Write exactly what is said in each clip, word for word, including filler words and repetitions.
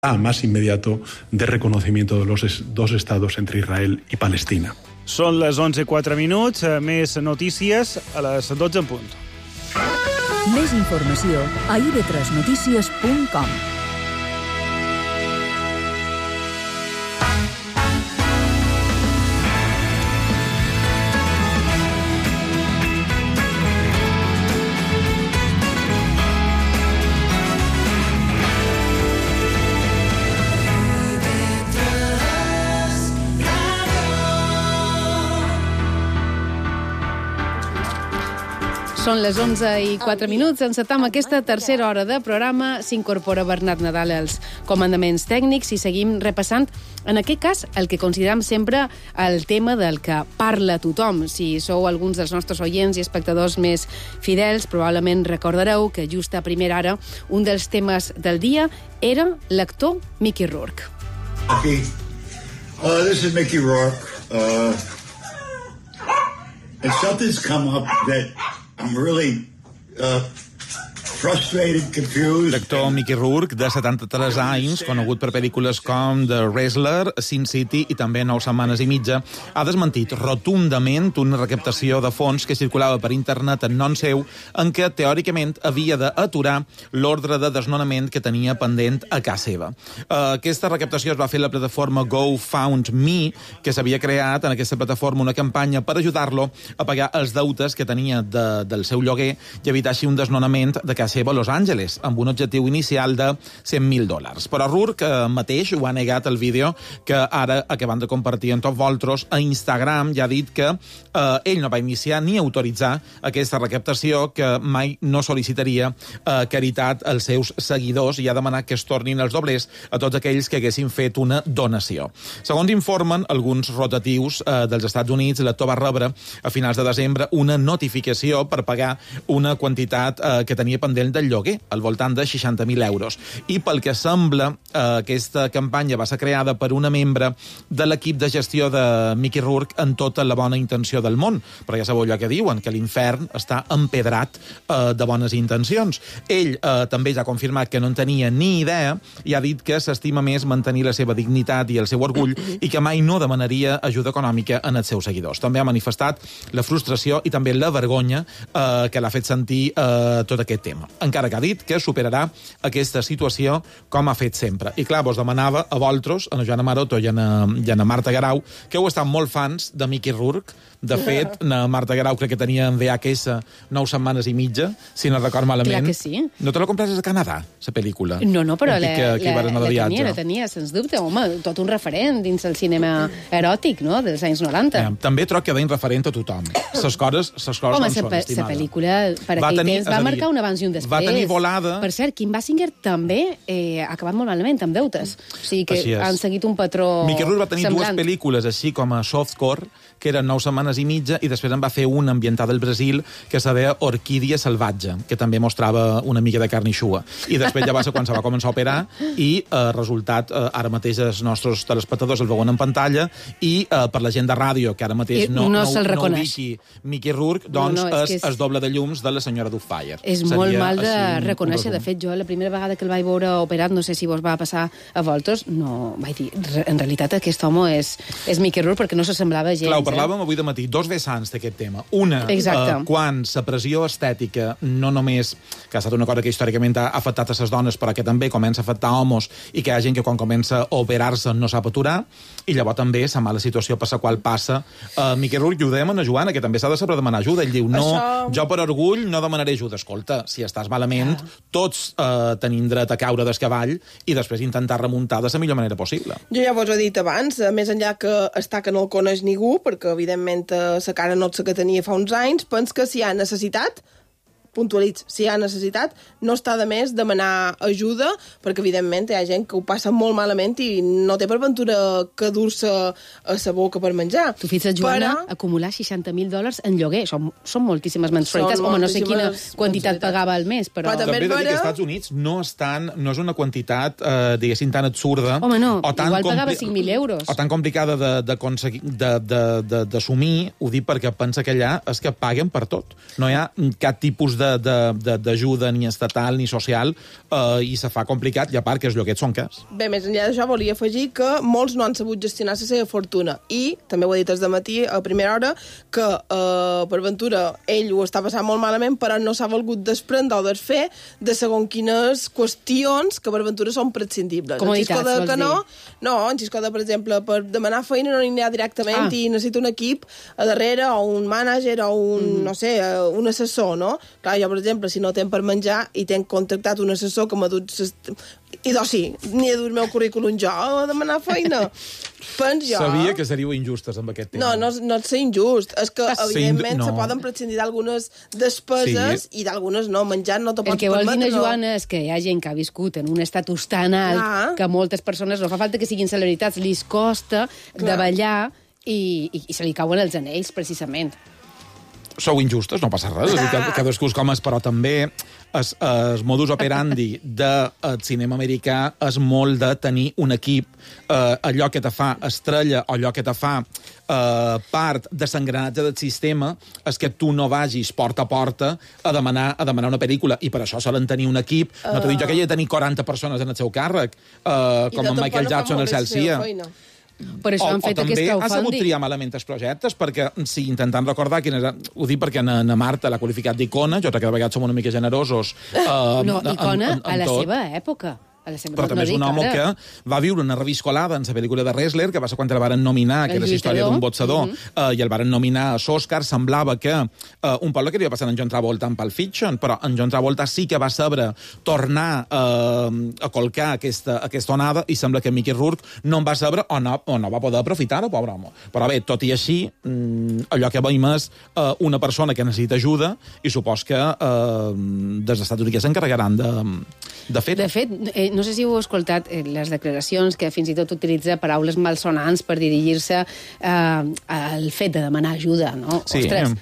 más inmediato de reconocimiento de los dos estados entre Israel y Palestina. Són les onze i quatre minuts, més notícies a les dotze en punt. Més informació a i be tres notícies punt com. Són les onze i quatre minuts. Encetam aquesta tercera hora de programa. S'incorpora Bernat Nadal als comandaments tècnics i seguim repassant, en aquest cas, el que considerem sempre el tema del que parla tothom. Si sou alguns dels nostres oients i espectadors més fidels, probablement recordareu que just a primera hora un dels temes del dia era l'actor Mickey Rourke. Okay. Uh, this is Mickey Rourke. Uh, and something's come up that I'm really uh, frustrated, confused. L'actor Mickey Rourke, de setanta-tres anys, conegut per pel·lícules com The Wrestler, Sin City i també Nou setmanes i mitja, ha desmentit rotundament una recaptació de fons que circulava per internet en nom seu, en què teòricament havia d'aturar l'ordre de desnonament que tenia pendent a casa seva. Aquesta recaptació es va fer a la plataforma GoFundMe, que s'havia creat en aquesta plataforma una campanya per ajudar-lo a pagar els deutes que tenia de, del seu lloguer i evitar així un desnonament de casa seva a Los Angeles, amb un objectiu inicial de cent mil dòlars. Però Rourke eh, mateix ho ha negat el vídeo que ara acabant de compartir amb tots vosaltres a Instagram, ja ha dit que eh, ell no va iniciar ni autoritzar aquesta recaptació, que mai no sol·licitaria eh, caritat als seus seguidors i ha demanat que es tornin els doblers a tots aquells que haguessin fet una donació. Segons informen alguns rotatius eh, dels Estats Units, l'actor va rebre a finals de desembre una notificació per pagar una quantitat eh, que tenia pendent del lloguer, al voltant de seixanta mil euros. I pel que sembla, eh, aquesta campanya va ser creada per una membre de l'equip de gestió de Mickey Rourke en tota la bona intenció del món. Però ja sabeu allò que diuen, que l'infern està empedrat eh, de bones intencions. Ell eh, també ja ha confirmat que no en tenia ni idea i ha dit que s'estima més mantenir la seva dignitat i el seu orgull i que mai no demanaria ajuda econòmica en els seus seguidors. També ha manifestat la frustració i també la vergonya eh, que l'ha fet sentir eh, tot aquest tema. Encara que ha dit que superarà aquesta situació com ha fet sempre. I clar, vos demanava a vosaltres, a la Joana Maroto i a la, i a la Marta Garau, que heu estat molt fans de Mickey Rourke. De fet, la Marta Garau crec que tenia en V H S nou setmanes i mitja, si no record malament. Clar que sí. No te la comprases a Canadà, la pel·lícula? No, no, però la, que, que la, la tenia, la tenia, sens dubte. Home, tot un referent dins el cinema eròtic, no?, dels anys noranta. Eh, també troc que deien referent a tothom. Ses coses, ses coses Home, no són, estimada. Home, la pel·lícula, per aquell tenir, temps, va marcar un abans i un després. Va tenir volada. Per cert, Kim Basinger també eh, ha acabat molt malament, amb deutes. O sigui que han seguit un patró semblant. Mickey Rourke va tenir semblant. dues pel·lícules així com a softcore, que eren nou setmanes i mitja, i després en va fer una ambientada al Brasil que se deia Orquídia salvatge, que també mostrava una mica de carn i xua. I després ja va ser quan se va començar a operar i eh, resultat, eh, ara mateix els nostres telespectadors el veuen en pantalla i eh, per la gent de ràdio, que ara mateix no, no, no, no ubiqui Mickey Rourke, doncs no, no, és, és, és, és doble de llums de la senyora Doubtfire. És Seria molt mal de reconèixer. De fet, jo la primera vegada que el vaig veure operat, no sé si vos va passar a vosaltres, no, vaig dir, en realitat aquest home és, és Mickey Rourke perquè no s'assemblava gens. Clar, ho parlàvem eh? avui de matí, dos vessants d'aquest tema. Una, eh, quan la pressió estètica no només, que ha estat una cosa que històricament ha afectat a les dones, però que també comença a afectar homes i que hi ha gent que quan comença a operar-se no sap aturar, i llavors també la mala situació per la qual passa. Uh, Mickey Rourke, ho dèiem a Joana, que també s'ha de saber demanar ajuda. Ell diu, no, Això... jo per orgull no demanaré ajuda. Escolta, si estàs malament, yeah. tots uh, tenim dret a caure del cavall i després intentar remuntar de la millor manera possible. Jo ja vos he dit abans, més enllà que està que no el coneix ningú, perquè evidentment la cara no és la que tenia fa uns anys, pens que si hi ha necessitat, puntualitz, si hi ha necessitat, no està de més demanar ajuda, perquè evidentment hi ha gent que ho passa molt malament i no té per ventura que dur-se a sa boca per menjar. Tu fixa't, Joana, Però... acumular seixanta mil dòlars en lloguer, són, són moltíssimes mensualitats. Són Home, no sé quina quantitat pagava al mes, però... però també he de dir que als Estats Units no, estan, no és una quantitat, eh, diguéssim, tan absurda... Home, no, o tan igual pagava cinc mil euros. O tan complicada d'assumir, ho dic perquè pensa que allà és que paguen per tot. No hi ha cap tipus d'ajuda ni estatal ni social eh, i se fa complicat, i a part que els lloguets són cars. Bé, més enllà d'això, volia afegir que molts no han sabut gestionar la seva fortuna i, també ho he dit des de matí, a primera hora, que eh, per ventura ell ho està passant molt malament, però no s'ha volgut desprendre o desfer de segons quines qüestions que per ventura són prescindibles. Comoditats, de, vols que no, dir? no, en Xisco de, per exemple, per demanar feina no n'hi ha directament ah. i necessita un equip a darrere o un mànager o un, mm. no sé, un assessor, no? Clar, jo, per exemple, si no tenc per menjar i tenc contractat un assessor que m'ha dut... I doncs sí, n'hi he dut el meu currículum jo a demanar feina. Pens jo... Sabia que seríeu injustes amb aquest tema. No, no, no és ser injust. És que, Sí, evidentment, no. se poden prescindir d'algunes despeses Sí. i d'algunes no. Menjar no te pots El que vol dir, permetre. no, Joana, és que hi ha gent que ha viscut en un estatus tan alt Clar. que a moltes persones no fa falta que siguin celebritats, li costa Clar. davallar i, i, i se li cauen els anells, precisament. Sou injustes, no passa res, ah. cadascú és com és, però també el, el modus operandi del cinema americà és molt de tenir un equip, eh, allò que te fa estrella o allò que te fa eh, part de l'engranatge del sistema és que tu no vagis porta a porta a demanar, a demanar una pel·lícula, i per això solen tenir un equip, uh... no t'ho dic jo que hi ha de tenir quaranta persones en el seu càrrec, eh, com en Michael Jackson al Celsia. Per això o, han fet o també aquest ha sabut crowdfunding. triar malament els projectes, perquè, sí, intentant recordar quin era... Ho dic perquè na, na Marta l'ha qualificat d'icona, jo crec que de vegades som una mica generosos. Eh, No, icona en, en, en a la tot. seva època. A la seva, Però no, també no és un dic home ara. que va viure una reviscolada en la pel·lícula de Wrestler, que va ser quan el varen nominar, que El era la història lluitador. d'un boxador, mm -hmm. uh, i el varen nominar a l'Oscar. Semblava que uh, un poble que li va passar en John Travolta en Pulp Fiction, però en John Travolta sí que va saber tornar uh, a colcar aquesta, aquesta onada, i sembla que Mickey Rourke no en va saber o no, o no va poder aprofitar-ho, pobre home. Però bé, tot i així, mm, allò que veiem és uh, una persona que necessita ajuda, i supos que uh, des dels Estats Units s'encarregaran de, de fer-ho. De fet, eh, no sé si heu escoltat eh, les declaracions, que fins i tot utilitza paraules malsonants per dirigir-se eh, al fet de demanar ajuda, no? Sí. Ostres,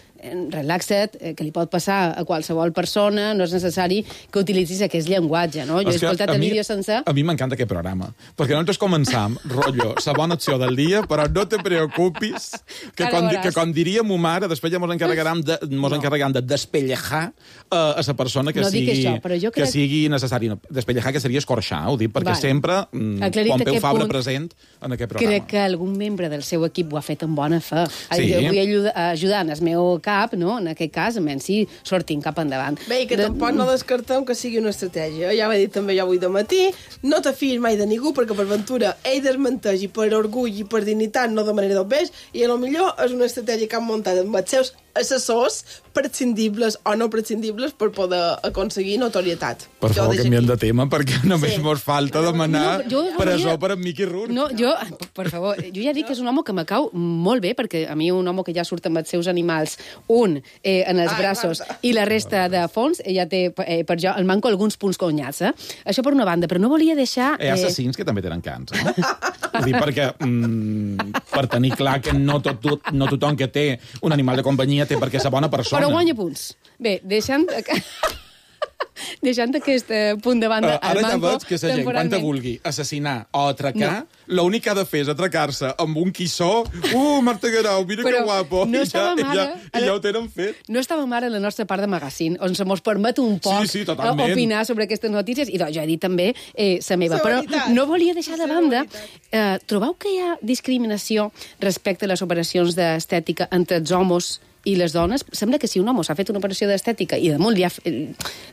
relaxa't, eh, que li pot passar a qualsevol persona, no és necessari que utilitzis aquest llenguatge, no? Jo he És que escoltat a el mi- vídeo sencer. A mi m'encanta aquest programa, perquè nosaltres començam, rotllo, la bona acció del dia, però no te preocupis, que, Ara com, di- veuràs. que com diria mo mare, després ja mos encarregaran de, mos No. encarregaran de despellejar uh, a la persona que, No dic sigui, això, però jo que crec- sigui necessari. No, despellejar, que seria escorxar, ho dic, perquè Vale. sempre mm, Aclarit Pompeu aquest Fabra punt, present en aquest programa. Crec que algun membre del seu equip ho ha fet amb bona fe. Sí. Jo vull ajudar, ajudar en el meu cap, no? En aquest cas, a menys si sortim cap endavant. Bé, i que De- tampoc no descartem que sigui una estratègia. Ja ho he dit també jo avui de matí, no te fiïs mai de ningú, perquè per ventura ell desmenteix i per orgull i per dignitat no de manera del beix, i a lo millor és una estratègia que han muntat amb els seus assessors prescindibles o no prescindibles per poder aconseguir notorietat. Per Jo favor, deixo canviem aquí. de tema, perquè només Sí. mos falta demanar No, jo presó volia- per en Mickey Rourke. No, jo, per favor, jo ja dic que és un home que me cau molt bé, perquè a mi un home que ja surt amb els seus animals, un eh, en els Ai, braços Marta. i la resta de fons, ja té eh, per jo el manco alguns punts conyats, eh? Això per una banda, però no volia deixar... Hi ha assassins que també tenen cans, eh? Vull dir, perquè, mm, per tenir clar que no, tot, tot, no tothom que té un animal de companyia té perquè ser bona persona. Però guanya punts. Bé, deixant... deixant aquest eh, punt de banda, Uh, ara el ja manco, veig que la gent, quan te vulgui assassinar o atracar, no. l'únic que ha de fer és atracar-se amb un quissó. Uh, Marta Guerau, mira Però que guapo. no I ja, estàvem i ja, ara- i ja ho tenen fet. No estàvem ara a la nostra part de magazine, on se mos permet un poc Sí, sí, totalment. eh, opinar sobre aquestes notícies, i doncs jo he dit també eh, la meva. La Però veritat. no volia deixar de La banda... veritat. Eh, trobeu que hi ha discriminació respecte a les operacions d'estètica entre els homes i les dones? Sembla que si un home s'ha fet una operació d'estètica i damunt li ha,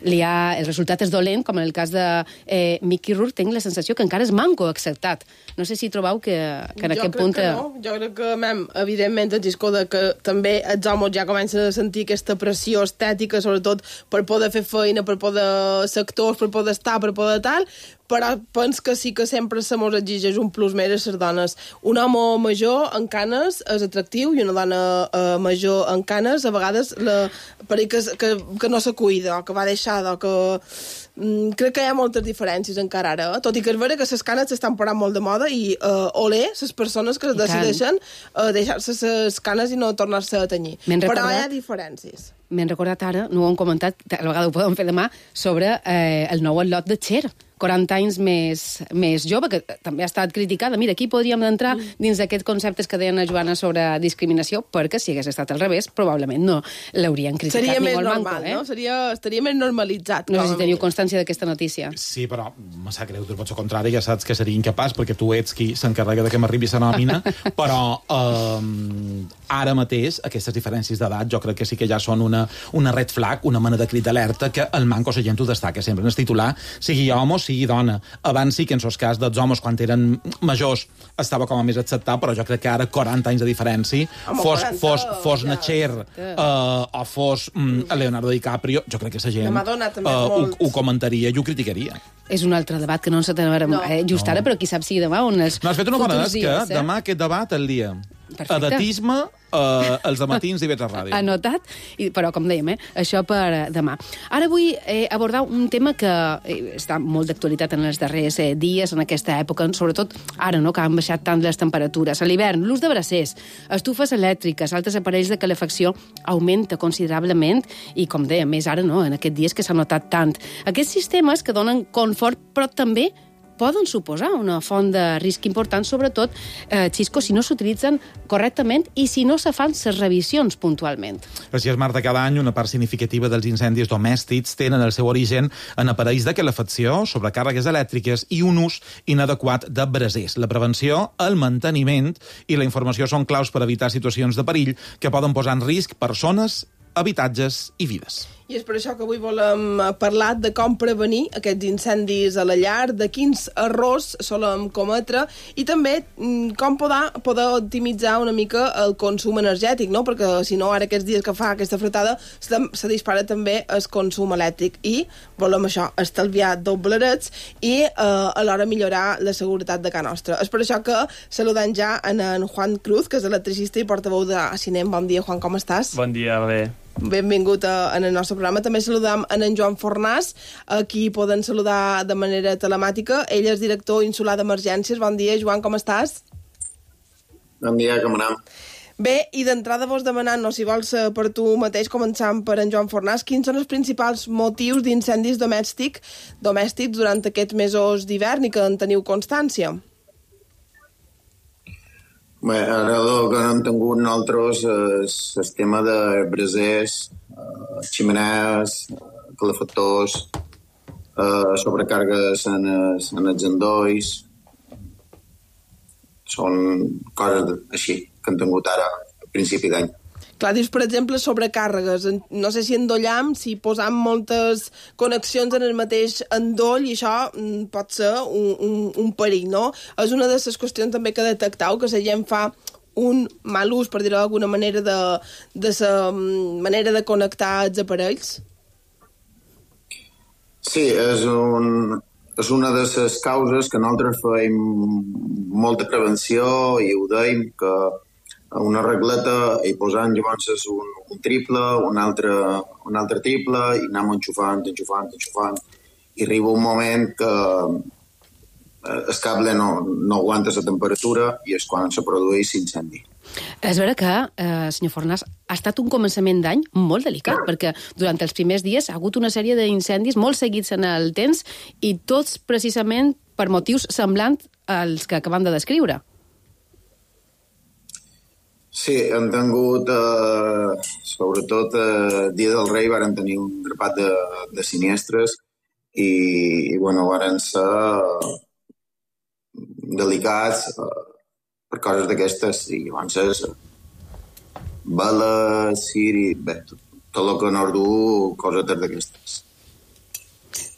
li ha, el resultat és dolent, com en el cas de eh, Mickey Rourke, tinc la sensació que encara és manco acceptat. No sé si trobeu que, que en jo aquest crec punt... que no. Jo crec que, mem, evidentment, el Giscó de que també els homes ja comencen a sentir aquesta pressió estètica, sobretot per poder fer feina, per poder ser actors, per poder estar, per poder tal, però pens que sí que sempre se mos exigeix un plus més a les dones. Un home major en canes és atractiu i una dona eh, major en canes a vegades la, per que, que, que no se cuida o que va deixada o que... mm, crec que hi ha moltes diferències encara ara, eh? Tot i que és vera que les canes s'estan parant molt de moda i uh, olé, les persones que decideixen uh, deixar-se les canes i no tornar-se a tenyir. Però recordat... hi ha diferències. M'hem recordat ara, no ho hem comentat, a la vegada ho podem fer demà, sobre eh, el nou al·lot de Cher, quaranta anys més, més jove, que també ha estat criticada. Mira, aquí podríem entrar dins d'aquests conceptes que deien a Joana sobre discriminació, perquè si hagués estat al revés, probablement no l'haurien criticat. Seria ni més molt normal, manco, eh? no? Seria, estaria més normalitzat. No sé si teniu constància d'aquesta notícia. Sí, però me sap greu, tu pots al contrari, ja saps que seria incapaç, perquè tu ets qui s'encarrega de que m'arribi la nòmina, però eh, ara mateix aquestes diferències d'edat jo crec que sí que ja són una, una red flag, una mena de crit d'alerta que el manco la gent ho destaca sempre en el titular, sigui home o sigui dona. Abans sí que en el cas dels homes, quan eren majors, estava com a més acceptat, però jo crec que ara quaranta anys de diferència, Home, fos, quaranta, fos, fos ja. na Cher uh, o fos mm, Leonardo DiCaprio, jo crec que la gent Madonna, també, uh, ho, molt. ho comentaria i ho criticaria. És un altre debat que no ens atenem No. eh, just ara, però qui sap si demà on els No, has fet una bona futurs tasca, dies, eh? demà aquest debat el dia. Perfecte. Edatisme, uh, els dematins i vets a ràdio. Anotat, i, però com dèiem, eh, això per eh, demà. Ara vull eh, abordar un tema que eh, està molt d'actualitat en els darrers eh, dies, en aquesta època, sobretot ara, no?, que han baixat tant les temperatures. A l'hivern, l'ús de bracers, estufes elèctriques, altres aparells de calefacció augmenta considerablement i, com dèiem, més ara, no?, en aquests dies que s'ha notat tant. Aquests sistemes que donen confort, però també poden suposar una font de risc important, sobretot, eh, Xisco, si no s'utilitzen correctament i si no se fan les revisions puntualment. Així és, Marta, cada any una part significativa dels incendis domèstics tenen el seu origen en aparells de calefacció, sobrecàrregues elèctriques i un ús inadequat de brasers. La prevenció, el manteniment i la informació són claus per evitar situacions de perill que poden posar en risc persones, habitatges i vides. I és per això que avui volem parlar de com prevenir aquests incendis a la llar, de quins errors solem cometre i també com poder, poder optimitzar una mica el consum energètic, no? Perquè si no, ara aquests dies que fa aquesta fretada se, se dispara també el consum elèctric i volem això, estalviar doblerets i eh, alhora millorar la seguretat de casa nostra. És per això que saludem ja en, en Juan Cruz, que és electricista i portaveu de Cinem. Bon dia, Juan, com estàs? Bon dia, bé. Benvingut a, en el nostre programa. També saludam en, en Joan Fornàs, a qui poden saludar de manera telemàtica. Ell és director insular d'emergències. Bon dia, Joan, com estàs? Bon dia, com anem? Bé, i d'entrada vos demanant, no, si vols per tu mateix, començant per en Joan Fornàs, quins són els principals motius d'incendis domèstic, domèstics durant aquests mesos d'hivern i que en teniu constància? Bé, ara el que no hem tingut nosaltres és el tema de brasers, eh, ximenees, calefactors, eh, sobrecàrregues en els, en els endolls. Són coses així que hem tingut ara a principi d'any. Clar, dius, per exemple, sobrecàrregues. No sé si endollam, si posam moltes connexions en el mateix endoll, i això mm, pot ser un, un, un perill, no? És una de les qüestions també que detectau, que la gent fa un mal ús, per dir-ho d'alguna manera, de, de la manera de connectar els aparells? Sí, és, un, és una de les causes que nosaltres feim molta prevenció i ho deim, que una regleta i posant llavors un, un triple, un altre, un altre triple i anem enxufant, enxufant, enxufant i arriba un moment que el cable no, no aguanta la temperatura i és quan se produeix l'incendi. És vera que, eh, senyor Fornàs, ha estat un començament d'any molt delicat, perquè durant els primers dies ha hagut una sèrie d'incendis molt seguits en el temps i tots precisament per motius semblants als que acabem de descriure. Sí, hem tingut, eh, sobretot el eh, dia del rei, varen tenir un grapat de, de sinistres i, i bueno, varen ser delicats eh, per coses d'aquestes i llavors veles, ciri, bé, tot, tot el que no es du, coses d'aquestes.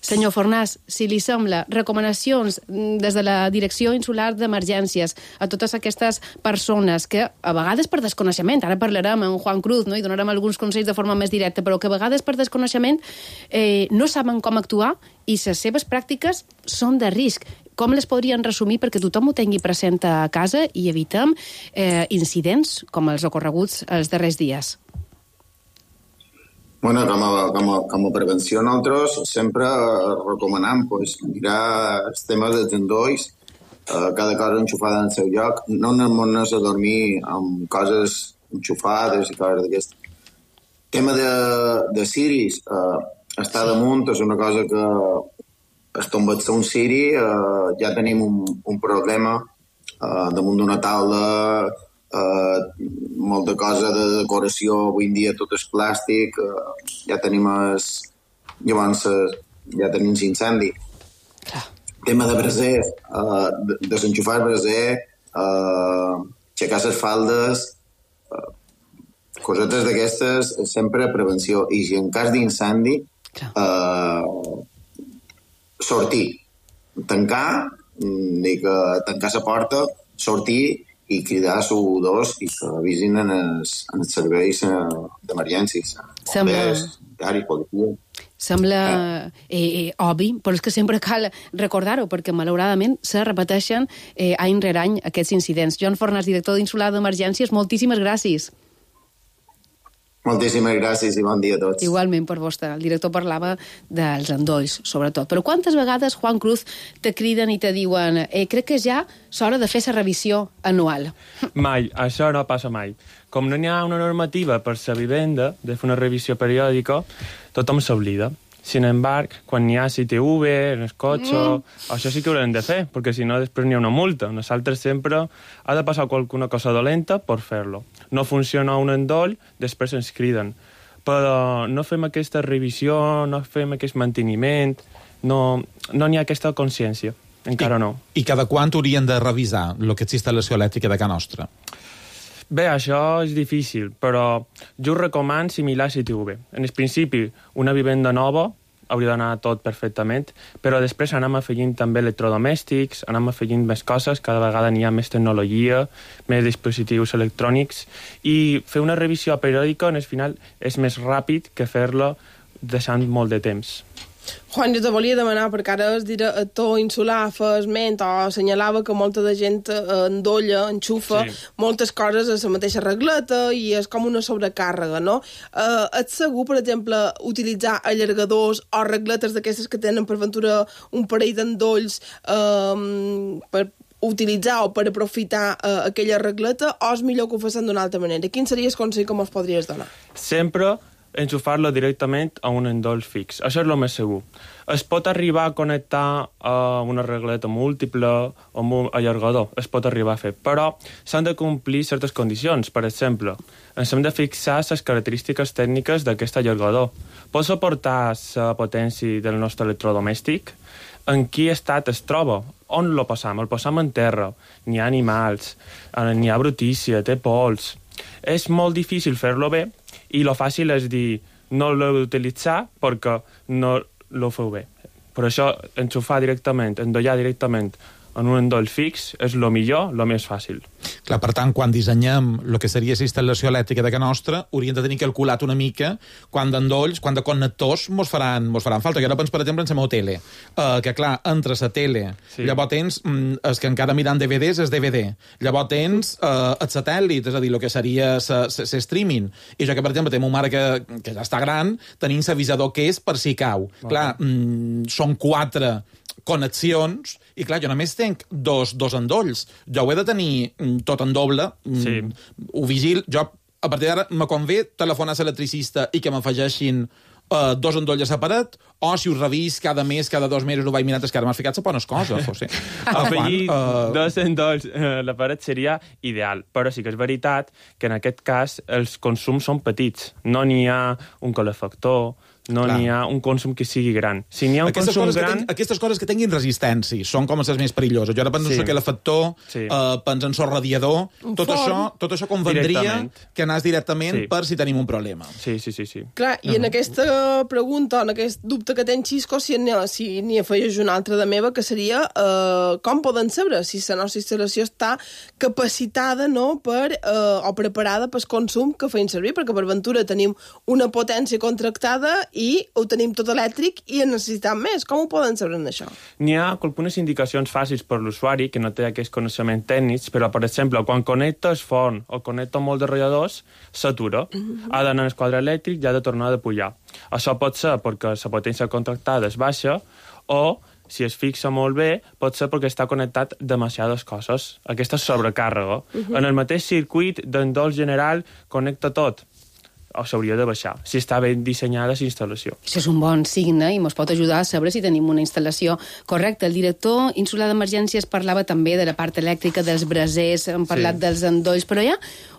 Senyor Fornàs, si li sembla, recomanacions des de la Direcció Insular d'Emergències a totes aquestes persones que, a vegades per desconeixement, ara parlarem amb Juan Cruz, no?, i donarem alguns consells de forma més directa, però que a vegades per desconeixement eh, no saben com actuar i les seves pràctiques són de risc. Com les podrien resumir perquè tothom ho tingui present a casa i evitem eh, incidents com els ocorreguts els darrers dies? Bueno, com a, com a, com a prevenció nosaltres sempre recomanem pues, mirar els temes dels endolls, eh, cada cosa enxufada en el seu lloc, no anem a dormir amb coses enxufades i coses d'aquestes. Tema de, de ciris, eh, està damunt, és una cosa que es tomba-se un ciri, eh, ja tenim un, un problema eh, damunt d'una taula, eh, molta cosa de decoració, avui en dia tot és plàstic, eh, ja tenim es, llavors eh, ja tenim l'incendi. Tema de braser, eh, de, desenxufar el braser, eh, aixecar les faldes, cosetes d'aquestes, sempre prevenció. I si en cas d'incendi, eh, sortir. Tancar, dir que tancar la porta, sortir i cridar a dos i que avisin en els, en els serveis d'emergències. Sembla... Diari, policia. Sembla eh, eh, obvi, però és que sempre cal recordar-ho, perquè malauradament se repeteixen eh, any rere any aquests incidents. Joan Fornàs, director d'Insular d'Emergències, moltíssimes gràcies. Moltíssimes gràcies i bon dia a tots. Igualment per vostè. El director parlava dels endolls, sobretot. Però quantes vegades, Juan Cruz, te criden i te diuen eh, crec que ja és hora de fer la revisió anual? Mai, això no passa mai. Com no hi ha una normativa per la vivenda de fer una revisió periòdica, tothom s'oblida. Sin embargo, quan hi ha C T V en el cotxe, mm. això sí que ho haurem de fer, perquè si no després n'hi ha una multa. Nosaltres sempre ha de passar alguna cosa dolenta per fer-lo. No funciona un endoll, després ens criden. Però no fem aquesta revisió, no fem aquest manteniment, no no n'hi ha aquesta consciència. Encara I, no. I cada quant haurien de revisar el que és instal·lació elèctrica de casa nostra? Bé, això és difícil, però jo us recomano similar a C T V. En el principi, una vivenda nova hauria d'anar tot perfectament, però després anem afegint també electrodomèstics, anem afegint més coses, cada vegada n'hi ha més tecnologia, més dispositius electrònics, i fer una revisió periòdica, en el final, és més ràpid que fer-la deixant molt de temps. Juan, jo te volia demanar, perquè ara el director insular fa esment o assenyalava que molta de gent endolla, enxufa sí. moltes coses a la mateixa regleta i és com una sobrecàrrega, no? Eh, ets segur, per exemple, utilitzar allargadors o regletes d'aquestes que tenen per ventura un parell d'endolls eh, per utilitzar o per aprofitar eh, aquella regleta, o és millor que ho facin d'una altra manera? Quin seria el consell que ens podries donar? Sempre enxufar-lo directament a un endoll fix. Això és el més segur. Es pot arribar a connectar a una regleta múltiple o un allargador. Es pot arribar a fer. Però s'han de complir certes condicions. Per exemple, ens hem de fixar les característiques tècniques d'aquest allargador. Pot suportar la potència del nostre electrodomèstic? En quin estat es troba? On lo posam? El posam en terra. N'hi ha animals, n'hi ha brutícia, té pols. És molt difícil fer-lo bé, i lo fàcil és dir no l'heu d'utilitzar perquè no lo feu bé. Per això, enxufar directament, endollar directament en un endoll fix és el millor, el més fàcil. Clar, per tant, quan dissenyem el que seria la instal·lació elèctrica de casa nostra, hauríem de tenir calculat una mica quant d'endolls, quant de connectors mos faran, mos faran falta. Jo ara penso, per exemple, en la meva tele, uh, que clar, entre la tele, sí. llavors tens, mm, els que encara miren D V Ds és D V D, llavors tens uh, el satèl·lit, és a dir, el que seria el streaming, i jo que, per exemple, tinc una mare que, que ja està gran, tenim l'avisador que és per si cau. Okay. Clar, mm, són quatre connexions, i clar, jo només tenc dos, dos endolls. Jo ho he de tenir tot en doble, sí. ho vigil. Jo, a partir d'ara, me convé telefonar a l'electricista i que m'afegeixin uh, dos endolls separat, o si us revís cada mes, cada dos mesos, ho vaig mirant, és que ara m'has ficat a bones coses, José. Afegir uh... dos endolls a la paret seria ideal, però sí que és veritat que en aquest cas els consums són petits. No n'hi ha un calefactor, no n'hi ha un consum que sigui gran. Si n'hi ha un aquestes consum ten, gran... aquestes coses que tinguin resistència són com les més perilloses. Jo ara penso sí. que el factor, sí. uh, penso en el radiador, tot això, tot això convendria que anàs directament sí. per si tenim un problema. Sí, sí, sí. sí. Clar, i uh -huh. en aquesta pregunta, en aquest dubte que tens, Xisco, si n'hi si afegeix una altra de meva, que seria uh, com poden saber si la nostra instal·lació està capacitada, no?, per, uh, o preparada pel consum que feim servir, perquè per ventura tenim una potència contractada i ho tenim tot elèctric i en necessitem més. Com ho poden saber en això? N'hi ha algunes indicacions fàcils per l'usuari que no té aquests coneixements tècnics, però, per exemple, quan connecta el forn o connecta molt de ratlladors, s'atura. Mm-hmm. Ha d'anar al quadre elèctric i ha de tornar a pujar. Això pot ser perquè la potència contractada és baixa o, si es fixa molt bé, pot ser perquè està connectat demasiades coses. Aquesta és sobrecàrrega. Uh-huh. En el mateix circuit d'endoll general connecta tot. O s'hauria de baixar, si està ben dissenyada la instal·lació. Això és un bon signe i ens pot ajudar a saber si tenim una instal·lació correcta. El director insular d'emergències parlava també de la part elèctrica, dels brasers, hem parlat sí. dels endolls, però hi ha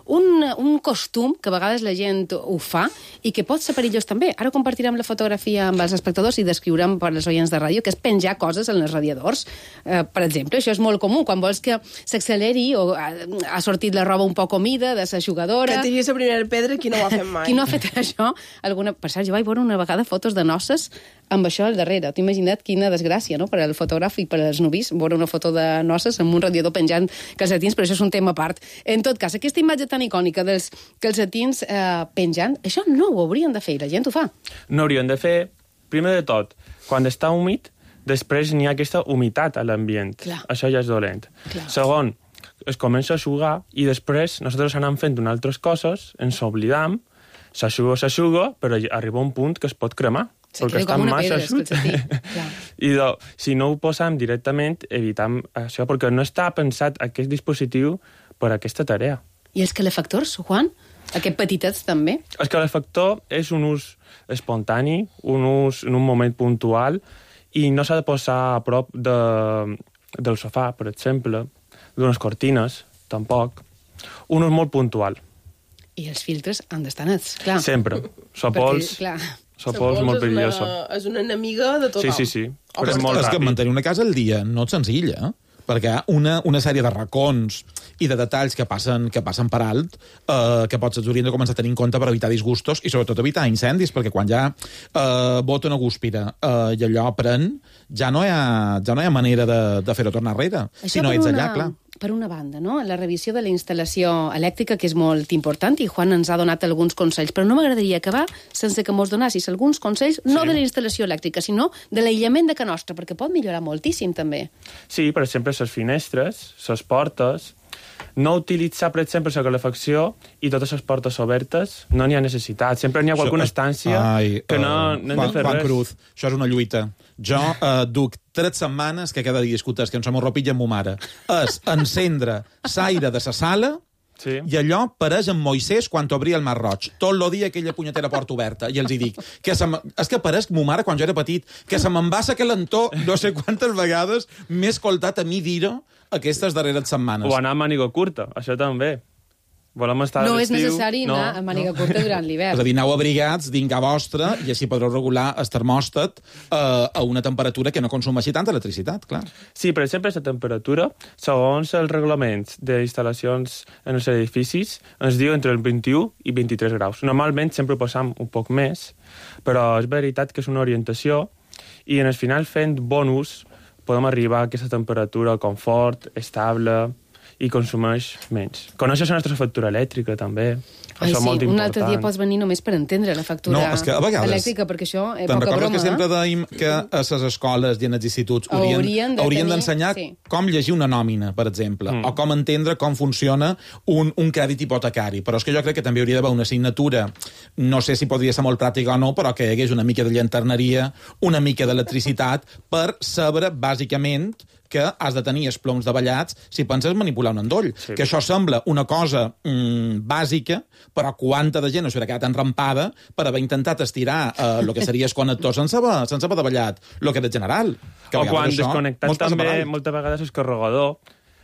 un, un costum que a vegades la gent ho fa i que pot ser perillós també. Ara compartirem la fotografia amb els espectadors i descriurem per als oients de ràdio, que és penjar coses en els radiadors. Eh, per exemple, això és molt comú, quan vols que s'acceleri o ha, ha sortit la roba un poc humida de la jugadora. Que tiri la primera pedra, qui no ho ha fet mai. Qui no ha fet això? Alguna... Per cert, jo vaig veure una vegada fotos de noces amb això al darrere. T'ho imagina't quina desgràcia, no?, per al fotògraf i per als nuvis, veure una foto de noces amb un radiador penjant calcetins, però això és un tema a part. En tot cas, aquesta imatge tan icònica dels calcetins eh, penjant, això no ho haurien de fer, i la gent ho fa. No haurien de fer, primer de tot, quan està humit, després n'hi ha aquesta humitat a l'ambient. Clar. Això ja és dolent. Clar. Segon, es comença a sugar i després nosaltres anem fent unes altres coses, ens oblidam, s'aixuga, s'aixuga, però arriba un punt que es pot cremar. Se perquè queda com una pedra, calcetí. I do, si no ho posam directament, evitam això, perquè no està pensat aquest dispositiu per a aquesta tarea. I els calefactors, Juan? Aquests petitets també? El calefactor és un ús espontani, un ús en un moment puntual, i no s'ha de posar a prop de, del sofà, per exemple, d'unes cortines, tampoc. Un ús molt puntual. I els filtres han d'estar nets, clar. Sempre. Sopols... Perquè, clar... Sopols molt perillosa. És una enemiga de tothom. Sí, sí, sí. Però és, és, és que mantenir una casa al dia no és senzill, eh? Perquè una, una sèrie de racons i de detalls que passen, que passen per alt eh, que potser haurien de començar a tenir en compte per evitar disgustos i sobretot evitar incendis, perquè quan ja eh, bota una gúspira eh, i allò pren, ja no hi ha, ja no hi ha manera de, de fer-ho tornar enrere. Això si no ets allà, clar. Per una banda, no? La revisió de la instal·lació elèctrica, que és molt important, i Juan ens ha donat alguns consells, però no m'agradaria acabar sense que mos donassis alguns consells, no sí. de la instal·lació elèctrica, sinó de l'aïllament de casa nostra, perquè pot millorar moltíssim, també. Sí, per exemple, les finestres, les portes, no utilitzar, per exemple, la calefacció i totes les portes obertes, no n'hi ha necessitat. Sempre n'hi ha alguna estància Ai, que no, uh, no hem de fer Juan res. Cruz, això és una lluita. Jo uh, duc tres setmanes que cada dia discuteix que ens som ropilla amb ma mare. És encendre l'aire de la sala sí. i allò pareix en Moisès quan obria el Mar Roig. Tot el dia aquella punyetera porta oberta. I els hi dic, que se és que pareix ma mare quan jo era petit, que se me'n va sa que l'entó no sé quantes vegades m'he escoltat a mi dir-ho aquestes darreres setmanes. O anar a màniga curta, això també. Volem estar no a és necessari no, anar a màniga no. curta durant l'hivern. És a dir, aneu abrigats dins a vostra i així podreu regular el termòstat eh, a una temperatura que no consumeixi tanta electricitat, clar. Sí, per exemple, la temperatura, segons els reglaments d'instal·lacions en els edificis, ens diu entre el vint-i-u i vint-i-tres graus. Normalment sempre posam un poc més, però és veritat que és una orientació i en el final, fent bon ús, podem arribar a aquesta temperatura confort, estable i consumeix menys. Coneixes la nostra factura elèctrica, també. Ai, això sí, molt un important. altre dia pots venir només per entendre la factura no, és que a vegades, elèctrica, perquè això és te'n poca recordes broma. que sempre eh? dèiem que a les escoles i en els instituts haurien, haurien de haurien tenir, d'ensenyar sí. com llegir una nòmina, per exemple, mm. o com entendre com funciona un, un crèdit hipotecari. Però és que jo crec que també hauria d'haver una assignatura, no sé si podria ser molt pràctica o no, però que hi hagués una mica de llanterneria, una mica d'electricitat, per saber, bàsicament, que has de tenir els ploms davallats si penses manipular un endoll. Sí. Que això sembla una cosa mm, bàsica, però quanta de gent no s'haurà quedat enrampada per haver intentat estirar el eh, que seria el connector sense haver, sense haver davallat el que és general. Que o quan desconnectant també moltes vegades el carregador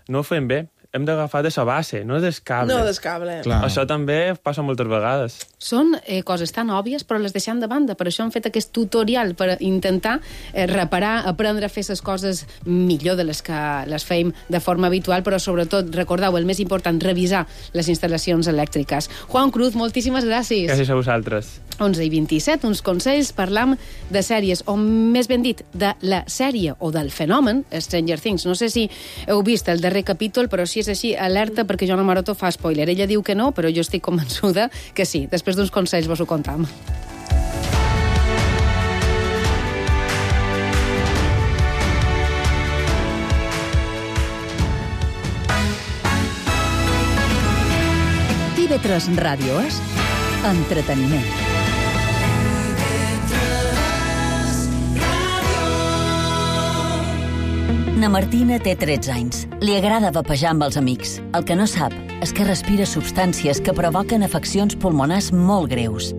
no ho fem bé. Hem d'agafar de la base, no des cable. No des cable. Clar. Això també passa moltes vegades. Són eh, coses tan òbvies, però les deixem de banda. Per això hem fet aquest tutorial, per intentar eh, reparar, aprendre a fer les coses millor de les que les feim de forma habitual, però sobretot, recordeu, el més important, revisar les instal·lacions elèctriques. Juan Cruz, moltíssimes gràcies. Gràcies a vosaltres. onze i vint-i-set, uns consells, parlam de sèries, o més ben dit, de la sèrie o del fenomen Stranger Things. No sé si heu vist el darrer capítol, però si és així, alerta, perquè Joana Maroto fa spoiler. Ella diu que no, però jo estic convençuda que sí. Després d'uns consells vos ho contam. I V tres Ràdio és entreteniment. Na Martina té tretze anys. Li agrada vapejar amb els amics. El que no sap és que respira substàncies que provoquen afeccions pulmonars molt greus.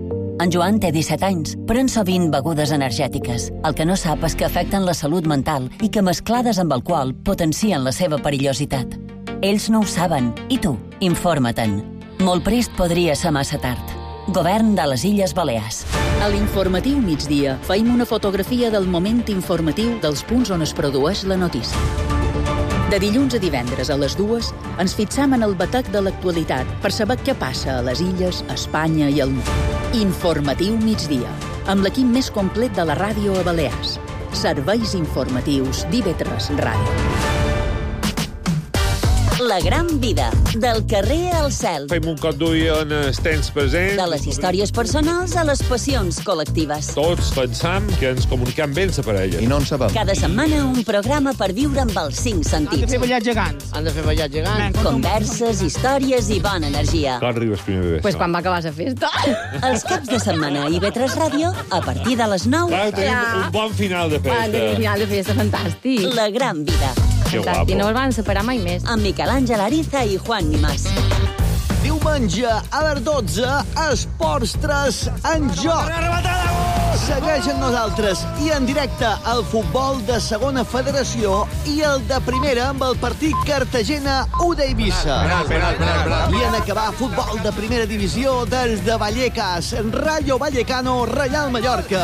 En Joan té disset anys, pren sovint begudes energètiques. El que no sap és que afecten la salut mental i que mesclades amb alcohol potencien la seva perillositat. Ells no ho saben, i tu, informa-te'n. Molt prest podria ser massa tard. Govern de les Illes Balears. A l'informatiu migdia feim una fotografia del moment informatiu dels punts on es produeix la notícia. De dilluns a divendres a les dues ens fixam en el batec de l'actualitat per saber què passa a les illes, a Espanya i al món. Informatiu migdia, amb l'equip més complet de la ràdio a Balears. Serveis informatius d'I V tres Ràdio. La gran vida, del carrer al cel. Fem un cop d'ull en els temps presents. De les històries personals a les passions col·lectives. Tots pensam que ens comunicam bé amb la parella. I no en sabem. Cada setmana un programa per viure amb els cinc sentits. Han de fer ballar gegants. Han de fer ballar gegants. Converses, històries i bona energia. Quan arribes primer de Pues quan va acabar la festa. Els caps de setmana a I V tres Ràdio, a partir de les nou. Clar, tenim ja. un bon final de festa. Un final de festa fantàstic. La gran vida. Que guapo. I no els van separar mai més. Amb Miquel Àngel Ariza i Juan Nimás. Diumenge a les dotze, Esports tres en joc. Segueix amb nosaltres i en directe el futbol de segona federació i el de primera amb el partit Cartagena-U de Eivissa. I en acabar futbol de primera divisió des de Vallecas, Rayo Vallecano, Reial Mallorca.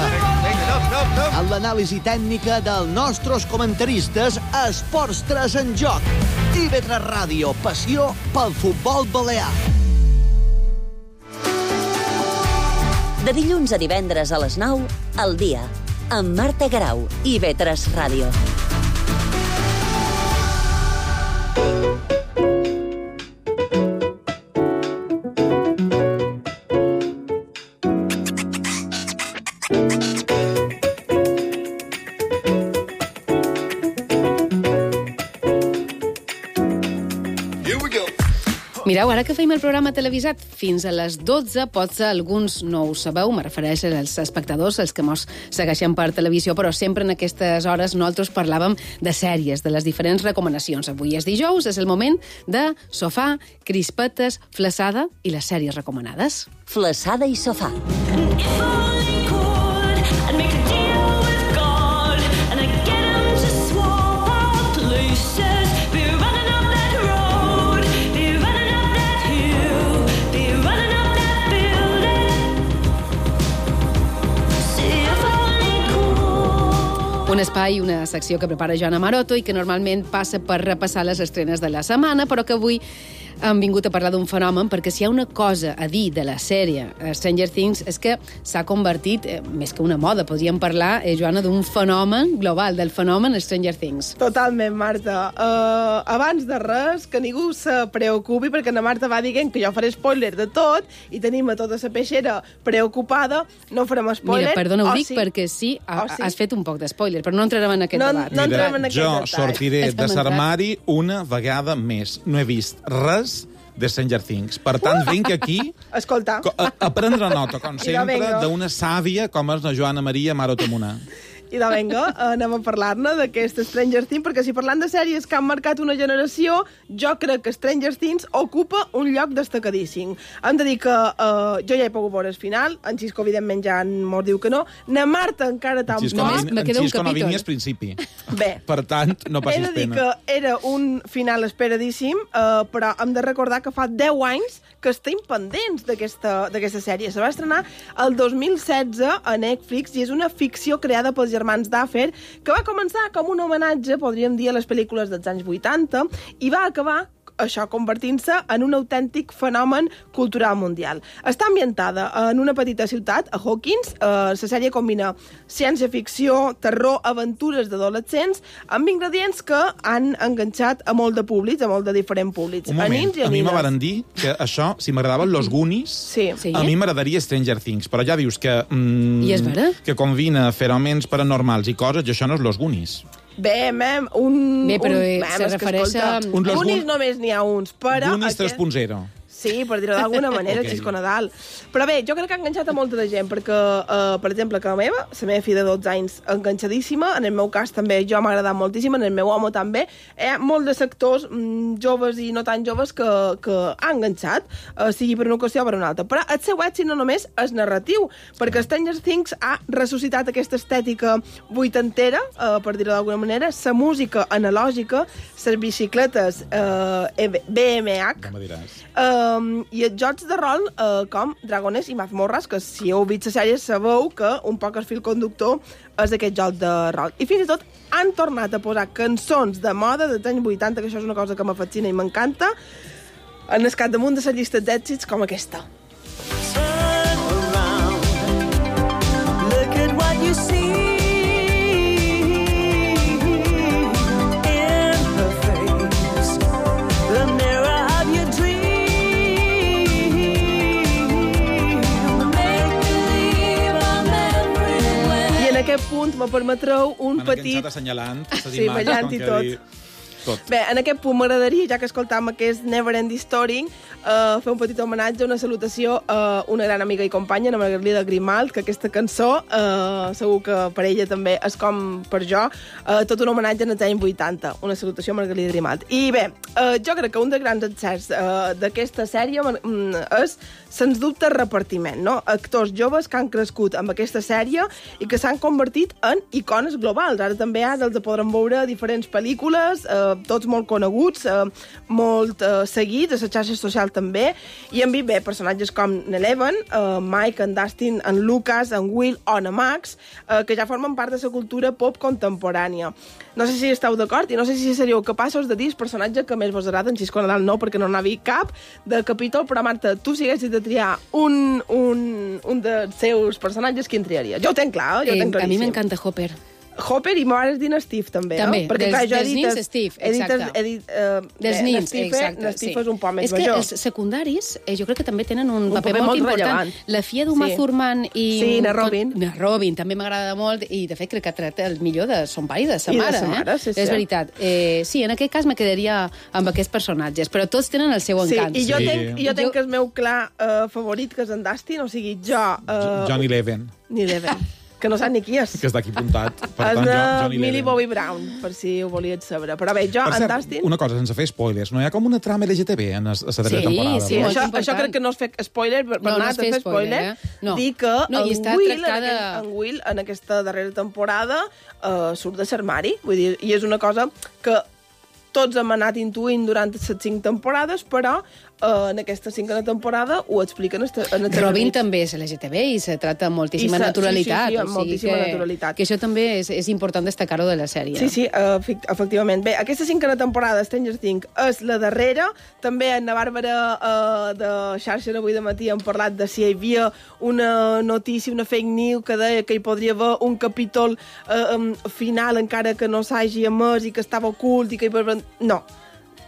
En l'anàlisi tècnica dels nostres comentaristes, Esports tres en joc. I V tres Ràdio, passió pel futbol balear. De dilluns a divendres a les nou, al dia, amb Marta Garau, I V tres Ràdio. Mireu, ara que feim el programa televisat fins a les dotze, potser alguns no ho sabeu, me refereixo als espectadors, els que mos segueixen per televisió, però sempre en aquestes hores nosaltres parlàvem de sèries, de les diferents recomanacions. Avui és dijous, és el moment de sofà, crispetes, flaçada i les sèries recomanades. Flaçada i sofà. Un espai, una secció que prepara Joana Maroto i que normalment passa per repassar les estrenes de la setmana, però que avui hem vingut a parlar d'un fenomen, perquè si hi ha una cosa a dir de la sèrie Stranger Things és que s'ha convertit, eh, més que una moda, podríem parlar, eh, Joana, d'un fenomen global, del fenomen Stranger Things. Totalment, Marta. Uh, abans de res, que ningú se preocupi, perquè la Marta va dient que jo faré spoiler de tot i tenim a tota la peixera preocupada, no farem spoiler. Mira, perdona, ho oh, dic sí. perquè sí, ha, oh, sí, has fet un poc de spoiler, però no entrarem en aquest no, debat. No Mira, en jo aquest sortiré Està de l'armari una vegada més. No he vist res de Stranger Things. Per tant, vinc aquí Escolta. a, a prendre nota, com sempre, venga. d'una sàvia com és la Joana Maria Maroto Munar. I de venga, anem a parlar-ne d'aquest Stranger Things, perquè si parlant de sèries que han marcat una generació, jo crec que Stranger Things ocupa un lloc destacadíssim. Hem de dir que uh, jo ja he pogut veure el final, en Xisco, evidentment, ja mos diu que no. Na Marta encara tampoc. En Xisco, no, en Xisco no vini al principi. Bé. Per tant, no passis pena. He de dir pena. que era un final esperadíssim, uh, però hem de recordar que fa deu anys que estem pendents d'aquesta sèrie. Se va estrenar el dos mil setze a Netflix i és una ficció creada pels germans Duffer que va començar com un homenatge, podríem dir, a les pel·lícules dels anys vuitanta i va acabar això convertint-se en un autèntic fenomen cultural mundial. Està ambientada en una petita ciutat, a Hawkins. Eh, la sèrie combina ciència-ficció, terror, aventures d'adolescents, amb ingredients que han enganxat a molt de públics, a molt de diferents públics. Un moment, a, nins i a, a mi nines. me varen dir que això, si m'agradaven los Goonies, sí. Sí. a mi m'agradaria Stranger Things, però ja dius que... Mm, I és vera? Que combina fenòmens paranormals i coses, i això no és los Goonies. Bé, mem, un... Bé, però un, eh, mem, se és que, refereix escolta, a... Un los Goonies Goon- només n'hi ha uns, però... Goonies aquest- tres punt zero. Sí, per dir-ho d'alguna manera, okay. Xisco Nadal. Però bé, jo crec que ha enganxat a molta de gent, perquè, uh, per exemple, que la meva, la meva filla de dotze anys, enganxadíssima, en el meu cas també jo m'ha agradat moltíssim, en el meu home també. Hi ha molts de sectors mm, joves i no tan joves que, que han enganxat, uh, sigui per una qüestió o per una altra. Però el seu èxit no només és narratiu, perquè Stranger Things ha ressuscitat aquesta estètica vuitantera, uh, per dir-ho d'alguna manera, la música analògica, les bicicletes uh, B M H, no me diràs. Um, i els jocs de rol uh, com Dragones i Mazmorras, que si heu vist la sèrie sabeu que un poc el fil conductor és aquest joc de rol. I fins i tot han tornat a posar cançons de moda dels anys vuitanta, que això és una cosa que m'afascina i m'encanta, en el capdamunt de les llistes d'èxits com aquesta. Turn around, look at what you see. En aquest punt me permetreu un en petit... En assenyalant les sí, imatges, i tot. Dir... tot. Bé, en aquest punt m'agradaria, ja que escoltam aquest Never Ending Story, uh, fer un petit homenatge, una salutació a una gran amiga i companya, la Margarida Grimalt, que aquesta cançó, uh, segur que per ella també és com per jo, uh, tot un homenatge en els anys vuitanta. Una salutació a Margarida Grimalt. I bé, uh, jo crec que un dels grans encerts uh, d'aquesta sèrie uh, és, sens dubte, el repartiment, no? Actors joves que han crescut amb aquesta sèrie i que s'han convertit en icones globals. Ara també ara els podrem veure diferents pel·lícules, uh, tots molt coneguts, eh, molt eh, seguits, a les xarxes socials també, i hem vist bé personatges com n'Eleven, eh, Mike, en Dustin, en Lucas, en Will o en Max, eh, que ja formen part de la cultura pop contemporània. No sé si esteu d'acord i no sé si seríeu capaços de dir el personatge que més vos agrada, en Xisco Nadal no, perquè no n'ha vist cap de capítol, però Marta, tu si haguessis de triar un, un, un dels seus personatges, quin triaria? Jo ho tenc clar, jo ho tenc claríssim. A mi m'encanta Hopper. Hopper i m'ho dir Steve, també, també no? Perquè, dels, clar, jo dels he dit, nins, Steve, exacte. He dit, uh, dels bé, nins, Steve, exacte. Steve sí. és un poc més és major. És que els secundaris, eh, jo crec que també tenen un, un paper, paper molt, molt important. Rellevant. La filla d'Uma sí. Thurman i... Sí, na Robin. Na Robin, també m'agrada molt, i de fet crec que ha tret el millor de son pare i de sa I mare. de sa mare, eh? sí, sí. És veritat. Eh, sí, en aquest cas me quedaria amb aquests personatges, però tots tenen el seu encant. Sí, i jo sí. tenc, jo tenc jo... el meu clar uh, favorit, que és en Dustin, o sigui, jo... Uh, Johnny Leven. Ni Leven. Que no sap ni qui és. Que és d'aquí apuntat. Per és tant, de Johnny Millie Leven. Bobby Brown, per si ho volíeu saber. Però bé, jo, per en cert, Dustin... una cosa, sense fer spoilers, no hi ha com una trama L G T B en la darrera sí, temporada? Sí, no? això, important. això crec que no es fer spoiler, per no, anar no a fer spoiler, eh? no. dir que no, en, Will, tractada... en, aquest, en Will, en aquesta darrera temporada, uh, surt de l'armari, vull dir, i és una cosa que tots hem anat intuint durant les cinc temporades, però uh, en aquesta cinquena temporada ho expliquen en el Robin també és L G T B i se trata amb moltíssima se, naturalitat. Sí, sí, sí, amb o sigui moltíssima que, naturalitat. Que això també és, és important destacar-ho de la sèrie. Sí, sí, uh, efectivament. Bé, aquesta cinquena temporada de Stranger Things és la darrera. També en la Bàrbara uh, de xarxa avui de matí hem parlat de si hi havia una notícia, una fake news que deia que hi podria haver un capítol uh, um, final encara que no s'hagi emès i que estava ocult i que hi podria... No.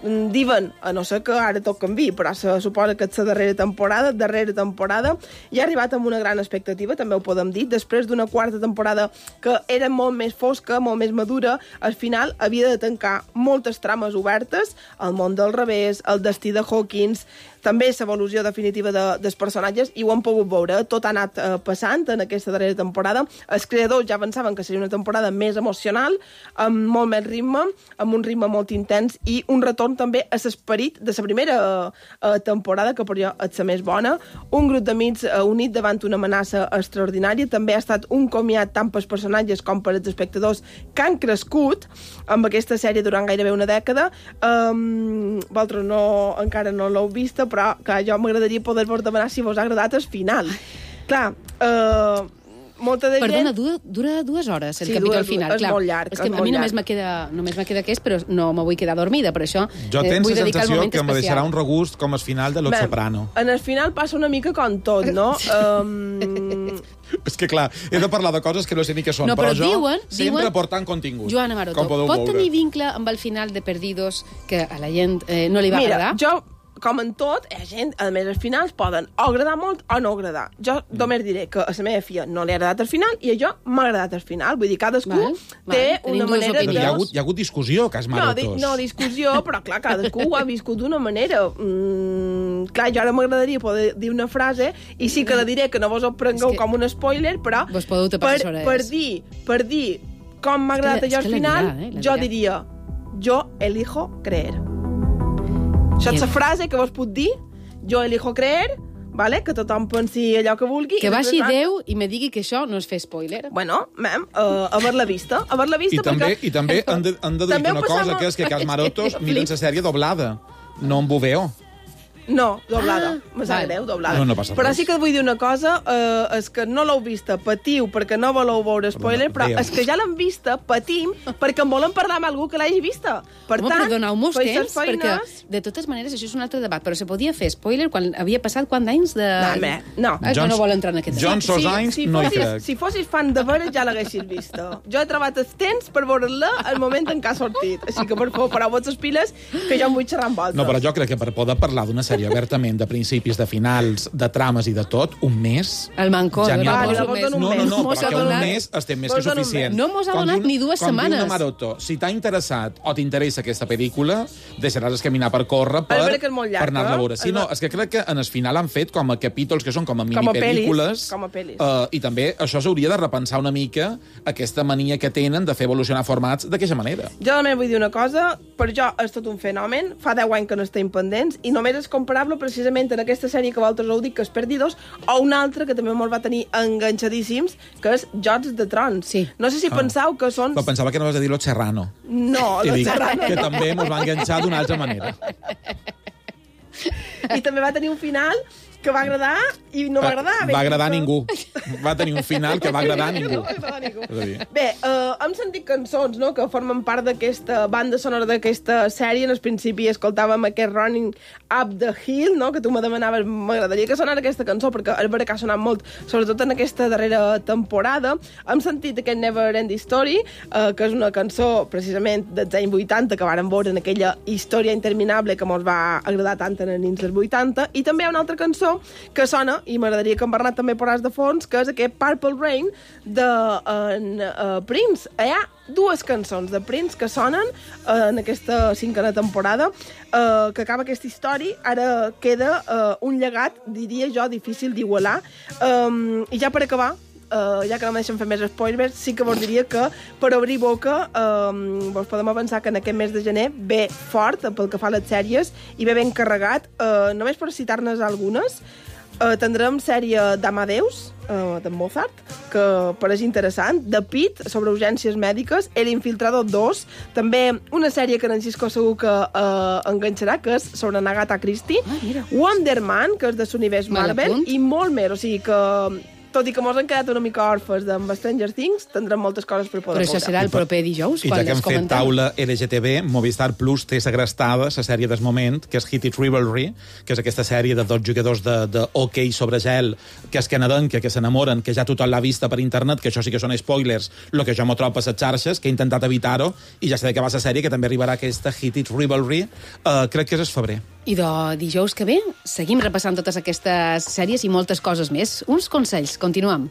Diuen, a no ser que ara tot canvi, però se suposa que és la darrera temporada, darrera temporada, i ha arribat amb una gran expectativa, també ho podem dir, després d'una quarta temporada que era molt més fosca, molt més madura, al final havia de tancar moltes trames obertes, el món del revés, el destí de Hawkins, també l'evolució definitiva de, dels personatges, i ho hem pogut veure, tot ha anat eh, passant en aquesta darrera temporada. Els creadors ja pensaven que seria una temporada més emocional, amb molt més ritme, amb un ritme molt intens, i un retorn també a l'esperit de la primera eh, temporada, que per jo és la més bona. Un grup d'amics eh, unit davant una amenaça extraordinària, també ha estat un comiat tant pels personatges com per als espectadors que han crescut amb aquesta sèrie durant gairebé una dècada. Um, vosaltres no, encara no l'heu vista, però que jo m'agradaria poder-vos demanar si vos ha agradat el final. Clar, eh... molta de Perdona, gent... dura, dura dues hores el sí, capítol dura, final. És clar. molt llarg. És que a mi només me queda, només me queda aquest, però no me vull quedar dormida, per això jo eh, tens vull la dedicar el sensació moment que especial. me deixarà un regust com el final de Los Soprano. En el final passa una mica com tot, no? um... És que, clar, he de parlar de coses que no sé ni què són, no, però, però jo diuen, sempre diuen, portant contingut. Joana Maroto, pot veure. tenir vincle amb el final de Perdidos que a la gent eh, no li va Mira, agradar? jo, com en tot, hi ha gent, a més, els finals poden o agradar molt o no agradar. Jo mm. només diré que a la meva filla no li ha agradat el final i a jo m'ha agradat el final. Vull dir, cadascú val, té val. una manera de... Hi ha, hagut, hi ha hagut discussió, cas Marotos. No, di, no, discussió, però clar, cadascú ho ha viscut d'una manera. Mm, Um, clar, jo ara m'agradaria poder dir una frase i sí que la diré, que no vos ho prengueu que... com un spoiler, però vos podeu tapar les orelles. Per dir, per dir com m'ha agradat allò al final, dirà, eh? jo diria jo elijo creer. Això és la frase que vos puc dir, jo elijo creer, vale? Que tothom pensi allò que vulgui. Que baixi Déu i me digui que això no és fer spoiler. Bueno, mem, uh, haver-la vista. Haver-la vista I també, perquè... i també han de, han de dir una cosa, que és que Cas Marotos miren la sèrie doblada, no en V O. No, doblada. Ah, me sap vale. greu, doblada. No, no passa però res. sí que vull dir una cosa, eh, és que no l'heu vista, patiu perquè no voleu veure spoiler, però, però és que ja l'hem vista, patim, perquè en volen parlar amb algú que l'hagi vista. Per Home, tant, però doneu-mos temps, feines... perquè de totes maneres això és un altre debat, però se podia fer spoiler quan havia passat quant d'anys de... No, no. Ah, Jones, no vol entrar en aquest debat. Jones sos anys, si, si no hi fossis, crec. Si fossis fan de veure, ja l'haguessis vista. Jo he trobat els temps per veure-la al moment en què ha sortit. Així que, per favor, pareu-vos les piles, que jo em vull xerrar amb vosaltres. No, però jo crec que per poder parlar d'una sèrie obertament de principis, de finals, de trames i de tot, un mes... El mancó, ja no, no, no, no, no, no, perquè un mes estem més que suficient. No mos ha donat ni dues setmanes. setmanes. Quan diu Maroto, si t'ha interessat o t'interessa aquesta pel·lícula, deixaràs caminar per córrer per, per anar-la a veure. Sí, no, és que crec que en el final han fet com a capítols que són com a minipel·lícules. Com a pel·lis. Uh, I també això s'hauria de repensar una mica aquesta mania que tenen de fer evolucionar formats d'aquesta manera. Jo només vull dir una cosa, per jo és tot un fenomen, fa deu anys que no estem pendents, i només és comparable precisament en aquesta sèrie que vosaltres heu dit, que és Perdidos, o una altra que també molt va tenir enganxadíssims, que és Jocs de Trons. Sí. No sé si ah. penseu que són... Però pensava que no vas a dir Lo Serrano. No, Lo Serrano. Que també ens va enganxar d'una altra manera. I també va tenir un final que va agradar i no va agradar. Va agradar a ningú. Va tenir un final que va agradar a ningú. A ningú. Bé, uh, hem sentit cançons, no?, que formen part d'aquesta banda sonora d'aquesta sèrie. En el principi escoltàvem aquest Running Up the Hill, no?, que tu me demanaves, m'agradaria que sonara aquesta cançó, perquè és vera que ha sonat molt, sobretot en aquesta darrera temporada. Hem sentit aquest Never Ending Story, uh, que és una cançó precisament dels anys vuitanta, que vàrem veure en aquella història interminable que ens va agradar tant en els anys vuitanta, i també hi ha una altra cançó que sona, i m'agradaria que en Bernat també posàs de fons, que és aquest Purple Rain de en, uh, Prince. Hi ha dues cançons de Prince que sonen uh, en aquesta cinquena temporada, uh, que acaba aquesta història. Ara queda uh, un llegat, diria jo, difícil d'igualar. Um, I ja per acabar, Uh, ja que no me deixen fer més spoilers, sí que vos diria que per obrir boca um, vos podem avançar que en aquest mes de gener ve fort pel que fa a les sèries i ve ben carregat. Uh, només per citar-ne algunes, uh, tindrem sèrie d'Amadeus, uh, de Mozart, que pareix interessant, de Pitt, sobre urgències mèdiques, El Infiltrado dos, també una sèrie que en Xisco segur que uh, enganxarà, que és sobre Agatha Christie, ah, Wonder Man, que és de l'univers Marvel, i molt més, o sigui que... Tot i que mos han quedat una mica orfes amb Stranger Things, tindrem moltes coses per poder Però això serà el proper dijous, I ja que hem fet taula L G T B, Movistar Plus té segrestada la sèrie del moment, que és Hit It Rivalry, que és aquesta sèrie de dos jugadors de, de hoquei sobre gel, que és canadenca, que s'enamoren, que ja tothom l'ha vista per internet, que això sí que són spoilers, el que jo m'ho trobo a les xarxes, que he intentat evitar-ho, i ja sé de què va la sèrie, que també arribarà aquesta Hit It Rivalry, uh, crec que és el febrer. I de dijous que ve seguim repassant totes aquestes sèries i moltes coses més. Uns consells, continuem.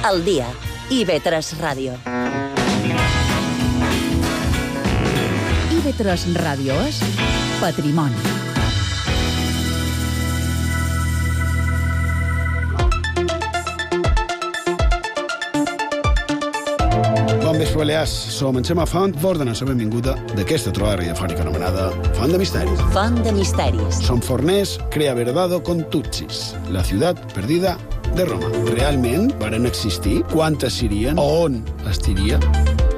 Al dia. I V tres Ràdio. I V tres Ràdio és patrimoni. Bon vespre, Balears. Som en Xema Font, vos donem la benvinguda d'aquesta trobada radiofònica anomenada Font de Misteris. Font de Misteris. Som forners, crea verdado con Tutsis, la ciutat perdida de Roma. Realment varen existir? Quantes serien? On estiria?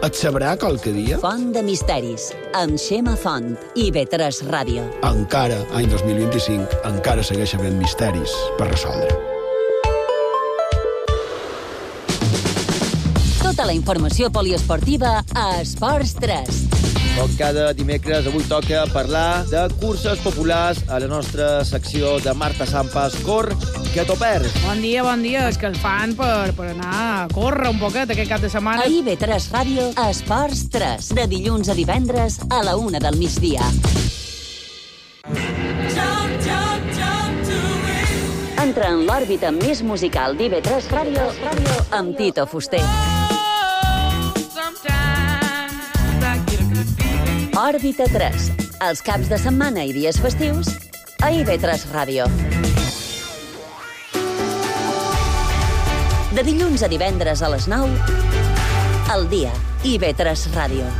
Et sabrà qualque dia? Font de misteris, amb Xema Font i B tres Ràdio. Encara, any dos mil vint-i-cinc, encara segueix havent misteris per resoldre. Tota la informació poliesportiva a Esports tres. Com cada dimecres, avui toca parlar de curses populars a la nostra secció de Marta Sampas. Cor, que t'ho perds. Bon dia, bon dia. És que el fan per, per anar a córrer un poquet aquest cap de setmana. A I B tres Ràdio, Esports tres. De dilluns a divendres a la una del migdia. Entra en l'òrbita més musical d'I B tres Ràdio amb Tito Fuster. Òrbita tres. Els caps de setmana i dies festius a I B tres Ràdio. De dilluns a divendres a les nou, al dia, I B tres Ràdio.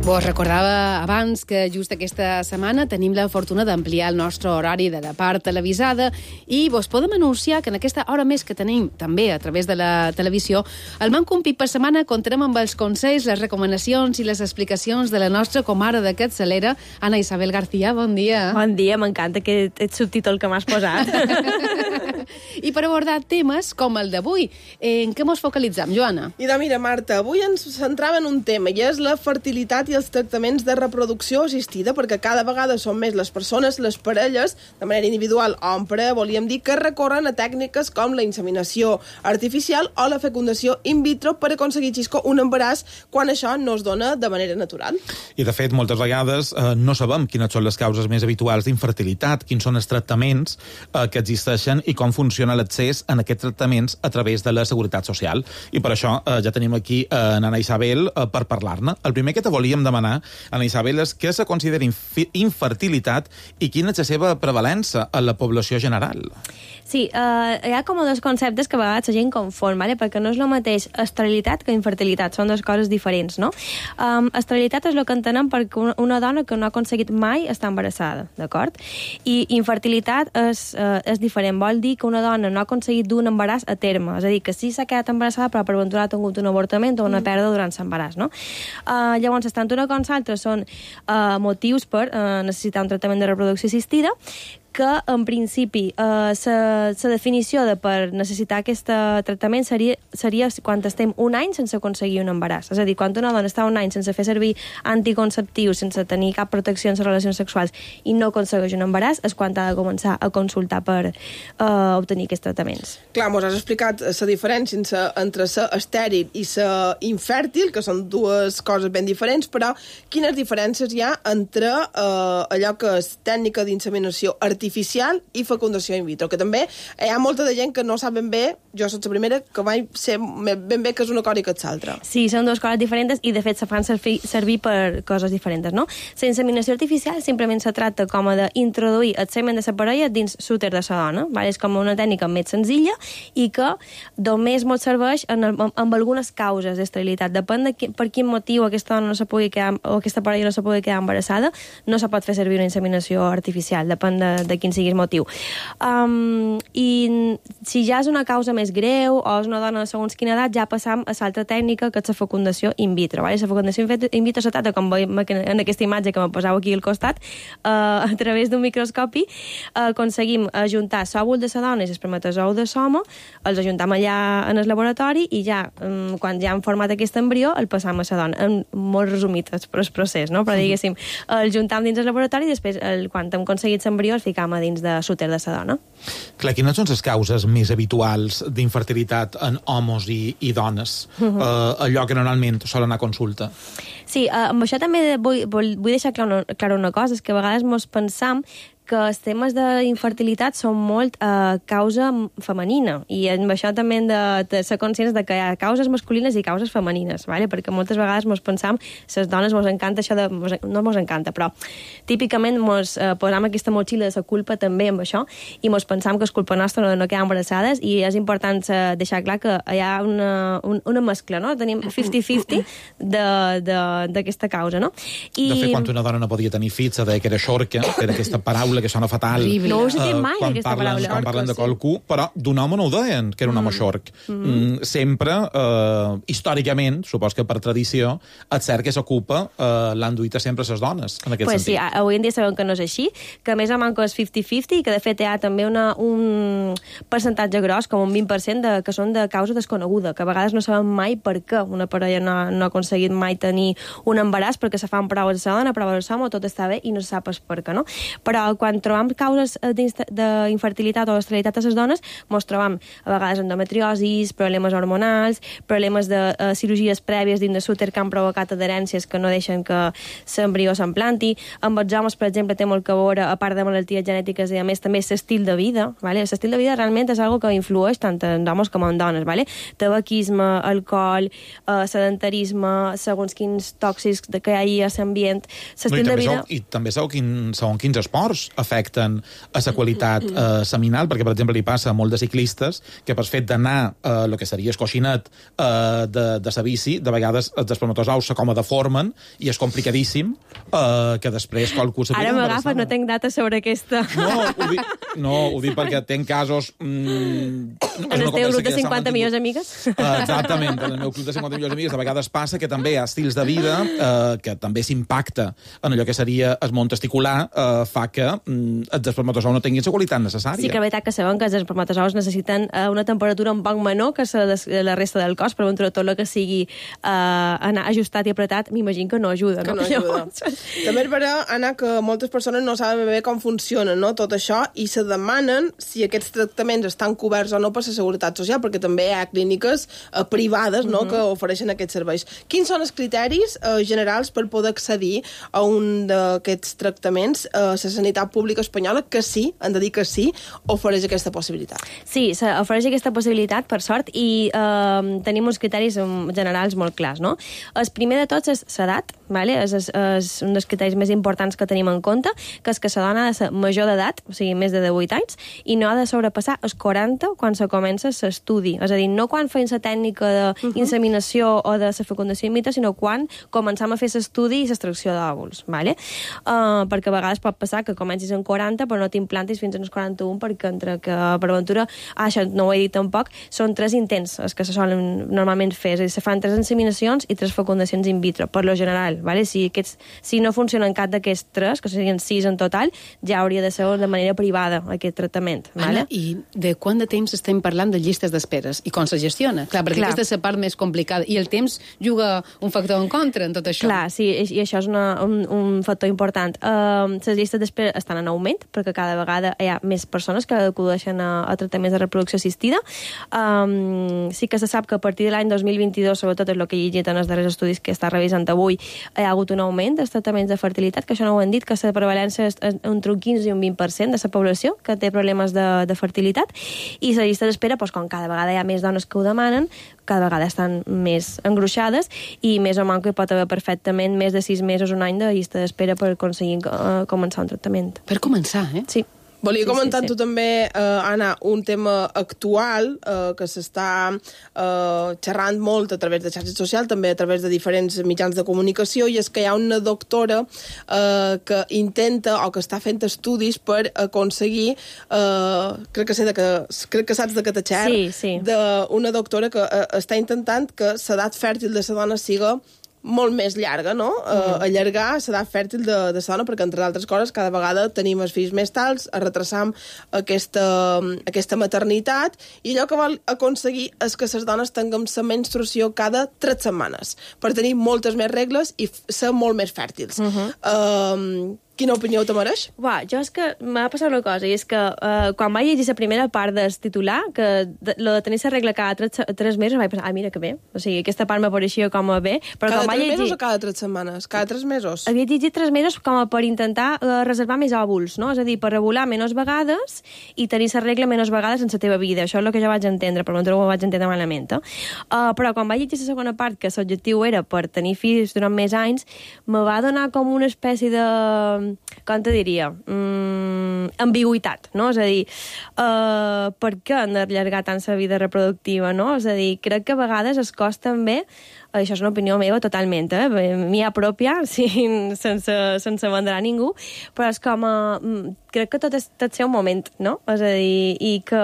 Vos recordava abans que just aquesta setmana tenim la fortuna d'ampliar el nostre horari de la part televisada i vos podem anunciar que en aquesta hora més que tenim també a través de la televisió, el Mancum Pip per setmana comptarem amb els consells, les recomanacions i les explicacions de la nostra comare de capçalera, Ana Isabel García. Bon dia. Bon dia, m'encanta aquest subtítol que m'has posat. I per abordar temes com el d'avui, en què mos focalitzam, Joana? I de mira, Marta, avui ens centrava en un tema i és la fertilitat i els tractaments de reproducció assistida, perquè cada vegada són més les persones, les parelles, de manera individual o en parella, volíem dir, que recorren a tècniques com la inseminació artificial o la fecundació in vitro per aconseguir, Xisco, un embaràs quan això no es dona de manera natural. I, de fet, moltes vegades eh, no sabem quines són les causes més habituals d'infertilitat, quins són els tractaments eh, que existeixen i com funciona l'accés en aquests tractaments a través de la Seguretat Social. I per això eh, ja tenim aquí eh, en Ana Isabel eh, per parlar-ne. El primer que te volíem demanar, Ana Isabel, és què se considera inf- infertilitat i quina és la seva prevalença en la població general. Sí, uh, hi ha com dos conceptes que a vegades la gent confon, ¿vale? Perquè no és el mateix esterilitat que infertilitat, són dues coses diferents, no? Um, esterilitat és el que entenem perquè una, una dona que no ha aconseguit mai estar embarassada, d'acord? I infertilitat és, uh, és diferent, vol dir que una dona no ha aconseguit dur un embaràs a terme, és a dir, que sí s'ha quedat embarassada però per ventura ha tingut un avortament o una mm. pèrdua durant l'embaràs, no? Uh, llavors, tant una com l'altra són uh, motius per uh, necessitar un tractament de reproducció assistida, que, en principi, eh, la definició de per necessitar aquest tractament seria, seria quan estem un any sense aconseguir un embaràs. És a dir, quan una dona està un any sense fer servir anticonceptius, sense tenir cap protecció en les relacions sexuals i no aconsegueix un embaràs, és quan ha de començar a consultar per eh, obtenir aquests tractaments. Clar, mos has explicat la diferència entre la estèril i la infèrtil, que són dues coses ben diferents, però quines diferències hi ha entre eh, allò que és tècnica d'inseminació artificial artificial i fecundació in vitro, que també hi ha molta de gent que no sap ben bé, jo soc la primera, que mai sé ben bé que és una cosa i que és l'altra. Sí, són dues coses diferents i de fet se fan servir, servir per coses diferents, no? La inseminació artificial simplement se tracta com a d'introduir el semen de la parella dins l'úter de la dona, vale? És com una tècnica més senzilla i que només ens serveix en el, amb algunes causes d'esterilitat. Depèn de qui, per quin motiu aquesta dona no se pugui quedar, o aquesta parella no se pugui quedar embarassada, no se pot fer servir una inseminació artificial, depèn de, de quin sigui el motiu. Um, I si ja és una causa més greu o és una dona de segons quina edat, ja passam a l'altra tècnica, que és la fecundació in vitro. Vale? La fecundació in vitro se tracta, com veiem en aquesta imatge que me poseu aquí al costat, uh, a través d'un microscopi uh, aconseguim ajuntar l'òvul de la dona i l'espermatozou de l'home, els ajuntam allà en el laboratori i ja, um, quan ja hem format aquest embrió, el passam a la dona. En molt resumit el procés, no? Però diguéssim, el juntam dins el laboratori i després, el, quan hem aconseguit l'embrió, el ficam a dins de l'úter de la dona. Clar, quines són les causes més habituals d'infertilitat en homes i, i dones? Uh-huh. uh, allò que normalment solen anar a consulta. Sí, uh, amb això també vull, vull, vull deixar clar una, clar una cosa, és que a vegades mos pensam que els temes d'infertilitat són molt eh, causa femenina, i amb això també hem de, de ser conscients de que hi ha causes masculines i causes femenines, vale? Perquè moltes vegades mos pensam, les dones mos encanta això de... Mos, no mos encanta, però típicament mos eh, posam aquesta motxilla de la culpa també amb això, i mos pensam que és culpa nostra no, no quedar embarassades, i és important eh, deixar clar que hi ha una, un, una mescla, no? Tenim cinquanta cinquanta d'aquesta causa, no? I... De fet, quan una dona no podia tenir fills, se deia que era xorca, que era aquesta paraula que sona fatal. No ho sentim mai, quan aquesta parlen, paraula. Quan parlen de qualcú, però d'un home no ho deien, que era un home xorc. Mm. Mm, sempre, eh, històricament, supos que per tradició, el cert que s'ocupa eh, l'han duit sempre les dones, en aquest pues sentit. Sí, avui en dia sabem que no és així, que a més a manco és cinquanta cinquanta, i que de fet hi ha també una, un percentatge gros, com un vint per cent, de, que són de causa desconeguda, que a vegades no sabem mai per què una parella no, no ha aconseguit mai tenir un embaràs, perquè se fan proves de la dona, proves de l'home, tot està bé i no se sap per què, no? Però quan trobam causes d'infertilitat o d'esterilitat a les dones, mos trobam a vegades endometriosis, problemes hormonals, problemes de uh, cirurgies prèvies dins de l'úter que han provocat adherències que no deixen que l'embrió s'implanti. Amb els homes, per exemple, té molt que veure, a part de malalties genètiques, i a més també l'estil de vida, ¿vale? L'estil de vida realment és algo que influeix tant en homes com en dones, ¿vale? Tabaquisme, alcohol, eh, sedentarisme, segons quins tòxics que hi ha a l'ambient, l'estil No, de vida... Sou, I també sabeu quin, segons quins esports afecten a la qualitat eh, seminal, perquè, per exemple, li passa a molts de ciclistes que per fet d'anar a eh, el que seria el coixinet eh, de, de sa bici, de vegades els espermatozous se com a deformen i és complicadíssim eh, que després qualcú... Ara m'agafes, no tenc data sobre aquesta. No, ho dic, no, ho dic perquè tenc casos... Mm, en el teu grup de cinquanta millors amigues? Uh, exactament, en el meu club de cinquanta millors amigues de vegades passa que també hi ha estils de vida uh, que també s'impacta en allò que seria el món testicular, uh, fa que um, els espermatozous no tinguin la qualitat necessària. Sí que és veritat que sabem que els espermatozous necessiten uh, una temperatura un poc menor que la, la resta del cos, però entre tot el que sigui uh, anar ajustat i apretat, m'imagino que no ajuda. Que no, no ajuda. També és vera, Anna, que moltes persones no saben bé com funciona, no, tot això, i se demanen si aquests tractaments estan coberts o no per la Seguretat Social, perquè també hi ha clíniques eh, privades, no, uh -huh. que ofereixen aquests serveis. Quins són els criteris eh, generals per poder accedir a un d'aquests tractaments? Eh, la sanitat pública espanyola, que sí, han de dir que sí, ofereix aquesta possibilitat. Sí, ofereix aquesta possibilitat, per sort, i eh, tenim uns criteris generals molt clars, no? El primer de tots és l'edat, vale? és, és, és un dels criteris més importants que tenim en compte, que és que la dona ha de ser major d'edat, o sigui, més de divuit anys, i no ha de sobrepassar els quaranta quan se comença l'estudi. És a dir, no quan feim la tècnica d'inseminació o de la fecundació in vitro, sinó quan començam a fer l'estudi i l'extracció d'òvuls, vale? Uh, perquè a vegades pot passar que comencis en quaranta però no t'implantis fins als quaranta-un, perquè entre que per aventura, ah, això no ho he dit tampoc, són tres intents els que se solen normalment fer, és a dir, se fan tres inseminacions i tres fecundacions in vitro, per lo general, vale? Si, aquests, si no funcionen cap d'aquests tres, que serien sis en total, ja hauria de ser de manera privada aquest tractament. Vale? Anna, i de quant de temps estem parlant de llistes d'esperes i com se gestiona? Clar, perquè Clar. aquesta és la part més complicada i el temps juga un factor en contra en tot això. Clar, sí, i això és una, un, un factor important. Uh, les llistes d'espera estan en augment perquè cada vegada hi ha més persones que acudeixen a, a tractaments de reproducció assistida. Um, sí que se sap que a partir de l'any dos mil vint-i-dos, sobretot és el que he llegit en els darrers estudis que està revisant avui, hi ha hagut un augment dels tractaments de fertilitat, que això no ho hem dit, que la prevalència és entre un quinze i un vint per cent de la població que té problemes de, de fertilitat, i la llista d'espera, doncs, com cada vegada hi ha més dones que ho demanen, cada vegada estan més engruixades, i més o menys que pot haver perfectament més de sis mesos, un any de llista d'espera per aconseguir uh, començar un tractament. Per començar, eh? Sí. Volia sí, comentar sí, sí. tu també, eh, Anna, un tema actual eh, que s'està eh, xerrant molt a través de xarxes socials, també a través de diferents mitjans de comunicació, i és que hi ha una doctora eh, que intenta o que està fent estudis per aconseguir, eh, crec, que sé de que, crec que saps de què t'aixer, sí, sí. d'una doctora que eh, està intentant que l'edat fèrtil de la dona siga molt més llarga, no? Mm. Uh, allargar l'edat fèrtil de, de la dona, perquè, entre altres coses, cada vegada tenim els fills més tals, retrasam aquesta, aquesta maternitat, i allò que vol aconseguir és que les dones tinguem la menstruació cada tres setmanes, per tenir moltes més regles i ser molt més fèrtils. Mm -hmm. uh, Quina opinió te mereix? Uà, jo és que m'ha passat una cosa, i és que uh, quan vaig llegir la primera part del titular, que de, lo de tenir la regla cada tres, tres mesos, vaig pensar, ah, mira que bé. O sigui, aquesta part m'apareixia com a bé. Però cada quan tres llegir... mesos o cada tres setmanes? Cada tres mesos? Havia llegit tres mesos com a per intentar uh, reservar més òvuls, no? És a dir, per regular menys vegades i tenir la regla menys vegades en la teva vida. Això és el que jo vaig entendre, però no ho vaig entendre malament. Eh? Uh, però quan vaig llegir la segona part, que l'objectiu era per tenir fills durant més anys, me va donar com una espècie de... com te diria? Mm, ambigüitat, no? És a dir, uh, per què han d'allargar tant la vida reproductiva, no? És a dir, crec que a vegades es costa també, això és una opinió meva totalment, eh? Mia pròpia, sí, sense, sense vendre a ningú, però és com a... crec que tot és, tot és un moment, no? És a dir, i que...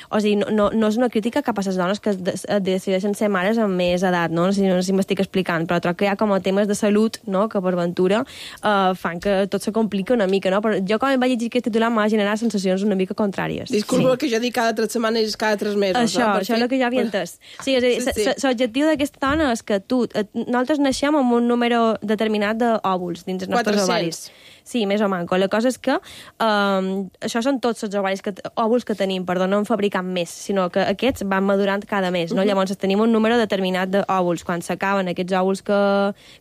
O sigui, no, no, no és una crítica cap a les dones que decideixen ser mares amb més edat, no? No sé, no sé si m'estic explicant, però trobo que hi ha com a temes de salut, no?, que per ventura uh, fan que tot se complica una mica, no? Però jo quan em vaig llegir aquest titular m'ha generat sensacions una mica contràries. Disculpa, sí. Que jo dic cada tres setmanes i cada tres mesos. Això, no? això és el que jo havia entès. Sí, és a dir, sí, sí. L'objectiu d'aquesta dona és que tu, nosaltres naixem amb un número determinat d'òvuls dins els nostres ovaris. Sí, més o manco. La cosa és que um, això són tots els ovaris que, òvuls que tenim, perdó, no en fabricam més, sinó que aquests van madurant cada mes, no? Uh-huh. Llavors tenim un número determinat d'òvuls. Quan s'acaben aquests òvuls que,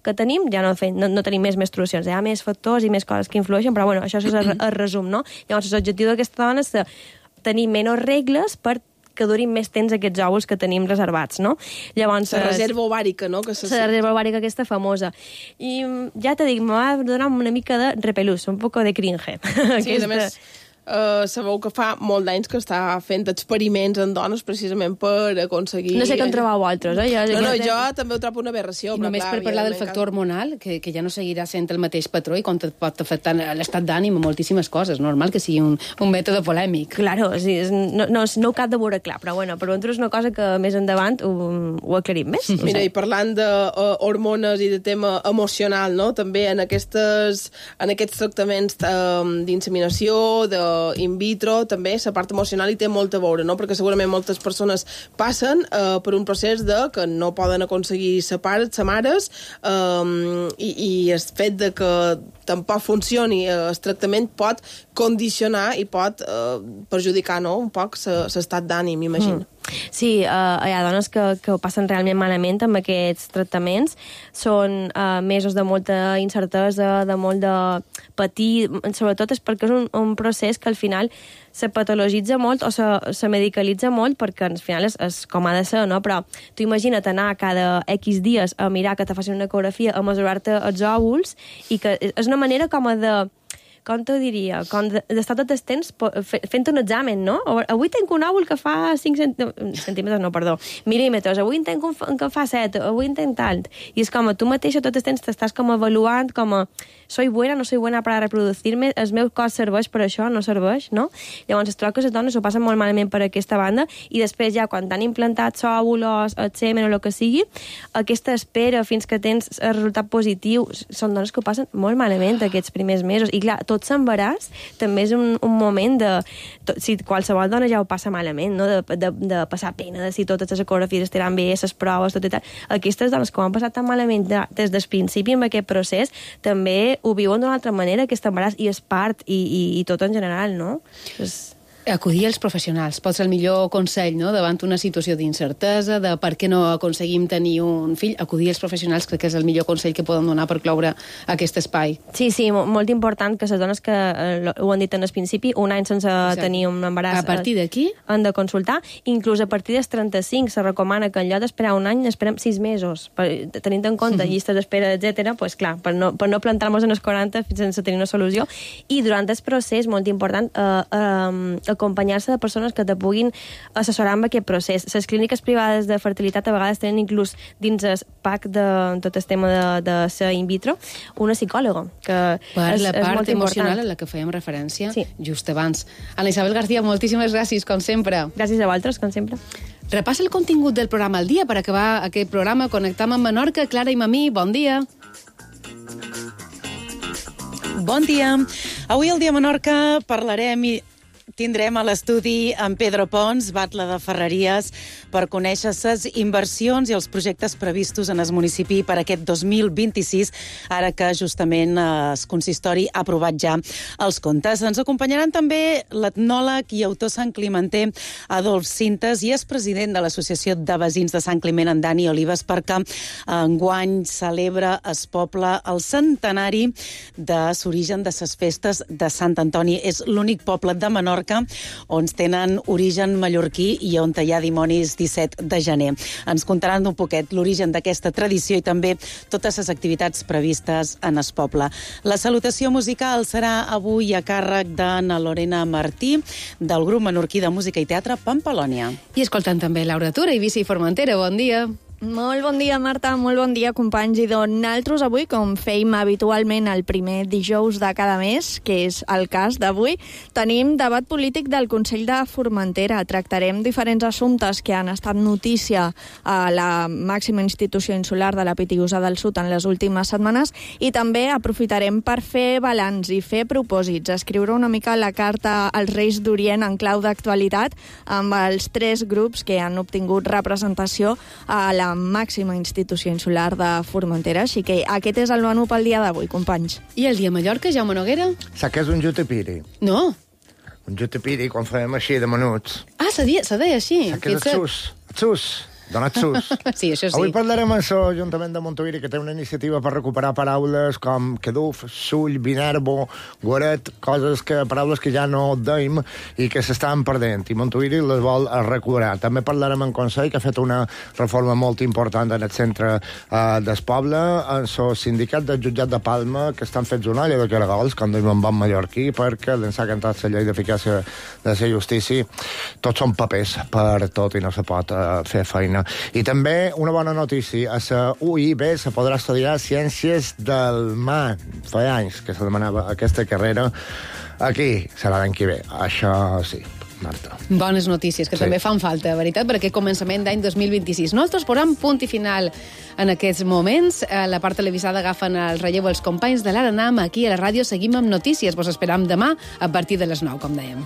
que tenim, ja no, fem, no, no tenim més menstruacions. Hi ha més factors i més coses que influeixen, però bueno, això és el, el resum, no? Llavors l'objectiu d'aquesta dona és tenir menys regles per que durin més temps aquests òvuls que tenim reservats, no? Llavors... La reserva ovàrica, no? Que la reserva ovàrica aquesta famosa. I ja te dic, me va donar una mica de repelús, un poc de cringe. Sí, a més... Uh, sabeu que fa molt d'anys que està fent experiments en dones precisament per aconseguir... No sé què en trobeu altres, eh? Jo, no, no, jo també ho trobo una aberració. I només clar, per parlar del factor hormonal, que, que ja no seguirà sent el mateix patró i com et pot afectar l'estat d'ànim a moltíssimes coses. Normal que sigui un, un mètode polèmic. Claro, sí, no, no, no ho cap de veure clar, però bueno, per ventura és una cosa que més endavant ho, ho aclarim més. Mira, i parlant d'hormones i de tema emocional, no? També en, aquestes, en aquests tractaments um, d'inseminació, de in vitro, també la part emocional hi té molt a veure, no? Perquè segurament moltes persones passen eh, per un procés de que no poden aconseguir ser pares, ser mares, eh, i, i el fet de que tampoc funcioni el tractament pot condicionar i pot eh, perjudicar, no?, un poc l'estat d'ànim, imagino. Mm. Sí, uh, hi ha dones que, que ho passen realment malament amb aquests tractaments. Són uh, mesos de molta incertesa, de molt de patir, sobretot és perquè és un, un procés que al final se patologitza molt o se, se medicalitza molt perquè al final és, és com ha de ser, no? Però tu imagina't anar cada X dies a mirar que te facin una ecografia, a mesurar-te els òvuls, i que és una manera com a de... com t'ho diria, com d'estar tot el temps fent un examen, no? Avui tenc un òvul que fa cinc centímetres, no, perdó, mil·límetres, avui en tenc un que fa set, avui en tenc tant. I és com a tu mateixa tot el temps t'estàs com avaluant, com a soy buena, no soy buena para reproducir-me, el meu cos serveix per això, no serveix, no? Llavors es troba que les dones ho passen molt malament per aquesta banda, i després ja quan t'han implantat l'òvul o el semen o el que sigui, aquesta espera fins que tens el resultat positiu, són dones que ho passen molt malament aquests primers mesos. I clar, tot l'embaràs també és un, un moment de... Tot, si qualsevol dona ja ho passa malament, no? De, de, de passar pena, de si totes les ecografies estaran bé, les proves, tot i tal. Aquestes dones que ho han passat tan malament des del principi amb aquest procés, també ho viuen d'una altra manera, aquest embaràs, i és part, i, i, i tot en general, no? És... Acudir als professionals pot ser el millor consell, no?, davant una situació d'incertesa, de per què no aconseguim tenir un fill. Acudir als professionals crec que és el millor consell que poden donar per cloure aquest espai. Sí, sí, molt important que les dones que eh, ho han dit en el principi, un any sense Exacte. tenir un embaràs... A partir d'aquí? Han de consultar. Inclús a partir dels trenta-cinc se recomana que en lloc d'esperar un any esperem sis mesos. Per, tenint en compte mm-hmm. llistes d'espera, etcètera, pues clar, per no, per no plantar-nos en els quaranta sense tenir una solució. I durant el procés, molt important, eh, eh, acompanyar-se de persones que te puguin assessorar amb aquest procés. Les clíniques privades de fertilitat a vegades tenen inclús dins el pack de tot el tema de, de ser in vitro una psicòloga, que per és, la és part molt emocional important. a la que fèiem referència sí. just abans. Ana Isabel García, moltíssimes gràcies, com sempre. Gràcies a vosaltres, com sempre. Repassa el contingut del programa al dia per acabar aquest programa. Connectam amb Menorca. Clara i Mamí, bon dia. Bon dia. Avui al Dia Menorca parlarem i tindrem a l'estudi en Pedro Pons, batlle de Ferreries, per conèixer les inversions i els projectes previstos en el municipi per aquest dos mil vint-i-sis, ara que justament el consistori ha aprovat ja els comptes. Ens acompanyaran també l'etnòleg i autor Sant Climenter Adolf Cintes i és president de l'Associació de Veïns de Sant Climent, en Dani Olives, perquè enguany celebra el poble el centenari de l'origen de les festes de Sant Antoni. És l'únic poble de Menorca on tenen origen mallorquí i on hi ha dimonis disset de gener. Ens contaran un poquet l'origen d'aquesta tradició i també totes les activitats previstes en el poble. La salutació musical serà avui a càrrec d'Anna Lorena Martí, del grup menorquí de música i teatre Pampalònia. I escoltant també Laura Tura, Eivissa i Formentera. Bon dia. Molt bon dia, Marta, molt bon dia, companys. I doncs nosaltres avui, com feim habitualment el primer dijous de cada mes, que és el cas d'avui, tenim debat polític del Consell de Formentera. Tractarem diferents assumptes que han estat notícia a la màxima institució insular de la Pitiusa del Sud en les últimes setmanes i també aprofitarem per fer balanç i fer propòsits, escriure una mica la carta als Reis d'Orient en clau d'actualitat amb els tres grups que han obtingut representació a la màxima institució insular de Formentera. Així que aquest és el menú pel dia d'avui, companys. I el dia a Mallorca, Jaume Noguera? Saps què és un jutepiri? No. Un jutepiri, quan fèiem així de menuts. Ah, se deia, se deia així. Saps què és el xus? El xus. Donat sus. Sí, això sí. Avui parlarem amb l'Ajuntament de Montuïri, que té una iniciativa per recuperar paraules com caduf, sull, vinerbo, guaret, coses que, paraules que ja no deim i que s'estan perdent, i Montuïri les vol recuperar. També parlarem amb Consell, que ha fet una reforma molt important en el centre eh, del poble, en el sindicat del jutjat de Palma, que estan fets una olla de caragols, com diuen en bon mallorquí, perquè l'ençà que ha entrat la llei d'eficàcia de la justícia, tots són papers per tot i no se pot eh, fer feina. I també una bona notícia, a la U I B se podrà estudiar Ciències del Mar. Fa anys que se demanava aquesta carrera. Aquí serà l'any que ve, això sí. Marta. Bones notícies, que sí. També fan falta, veritat, per aquest començament d'any dos mil vint-i-sis. Nosaltres posem punt i final en aquests moments. A la part televisada agafen el relleu els companys de l'Ara Nam. Aquí a la ràdio seguim amb notícies. Vos esperam demà a partir de les nou, com dèiem.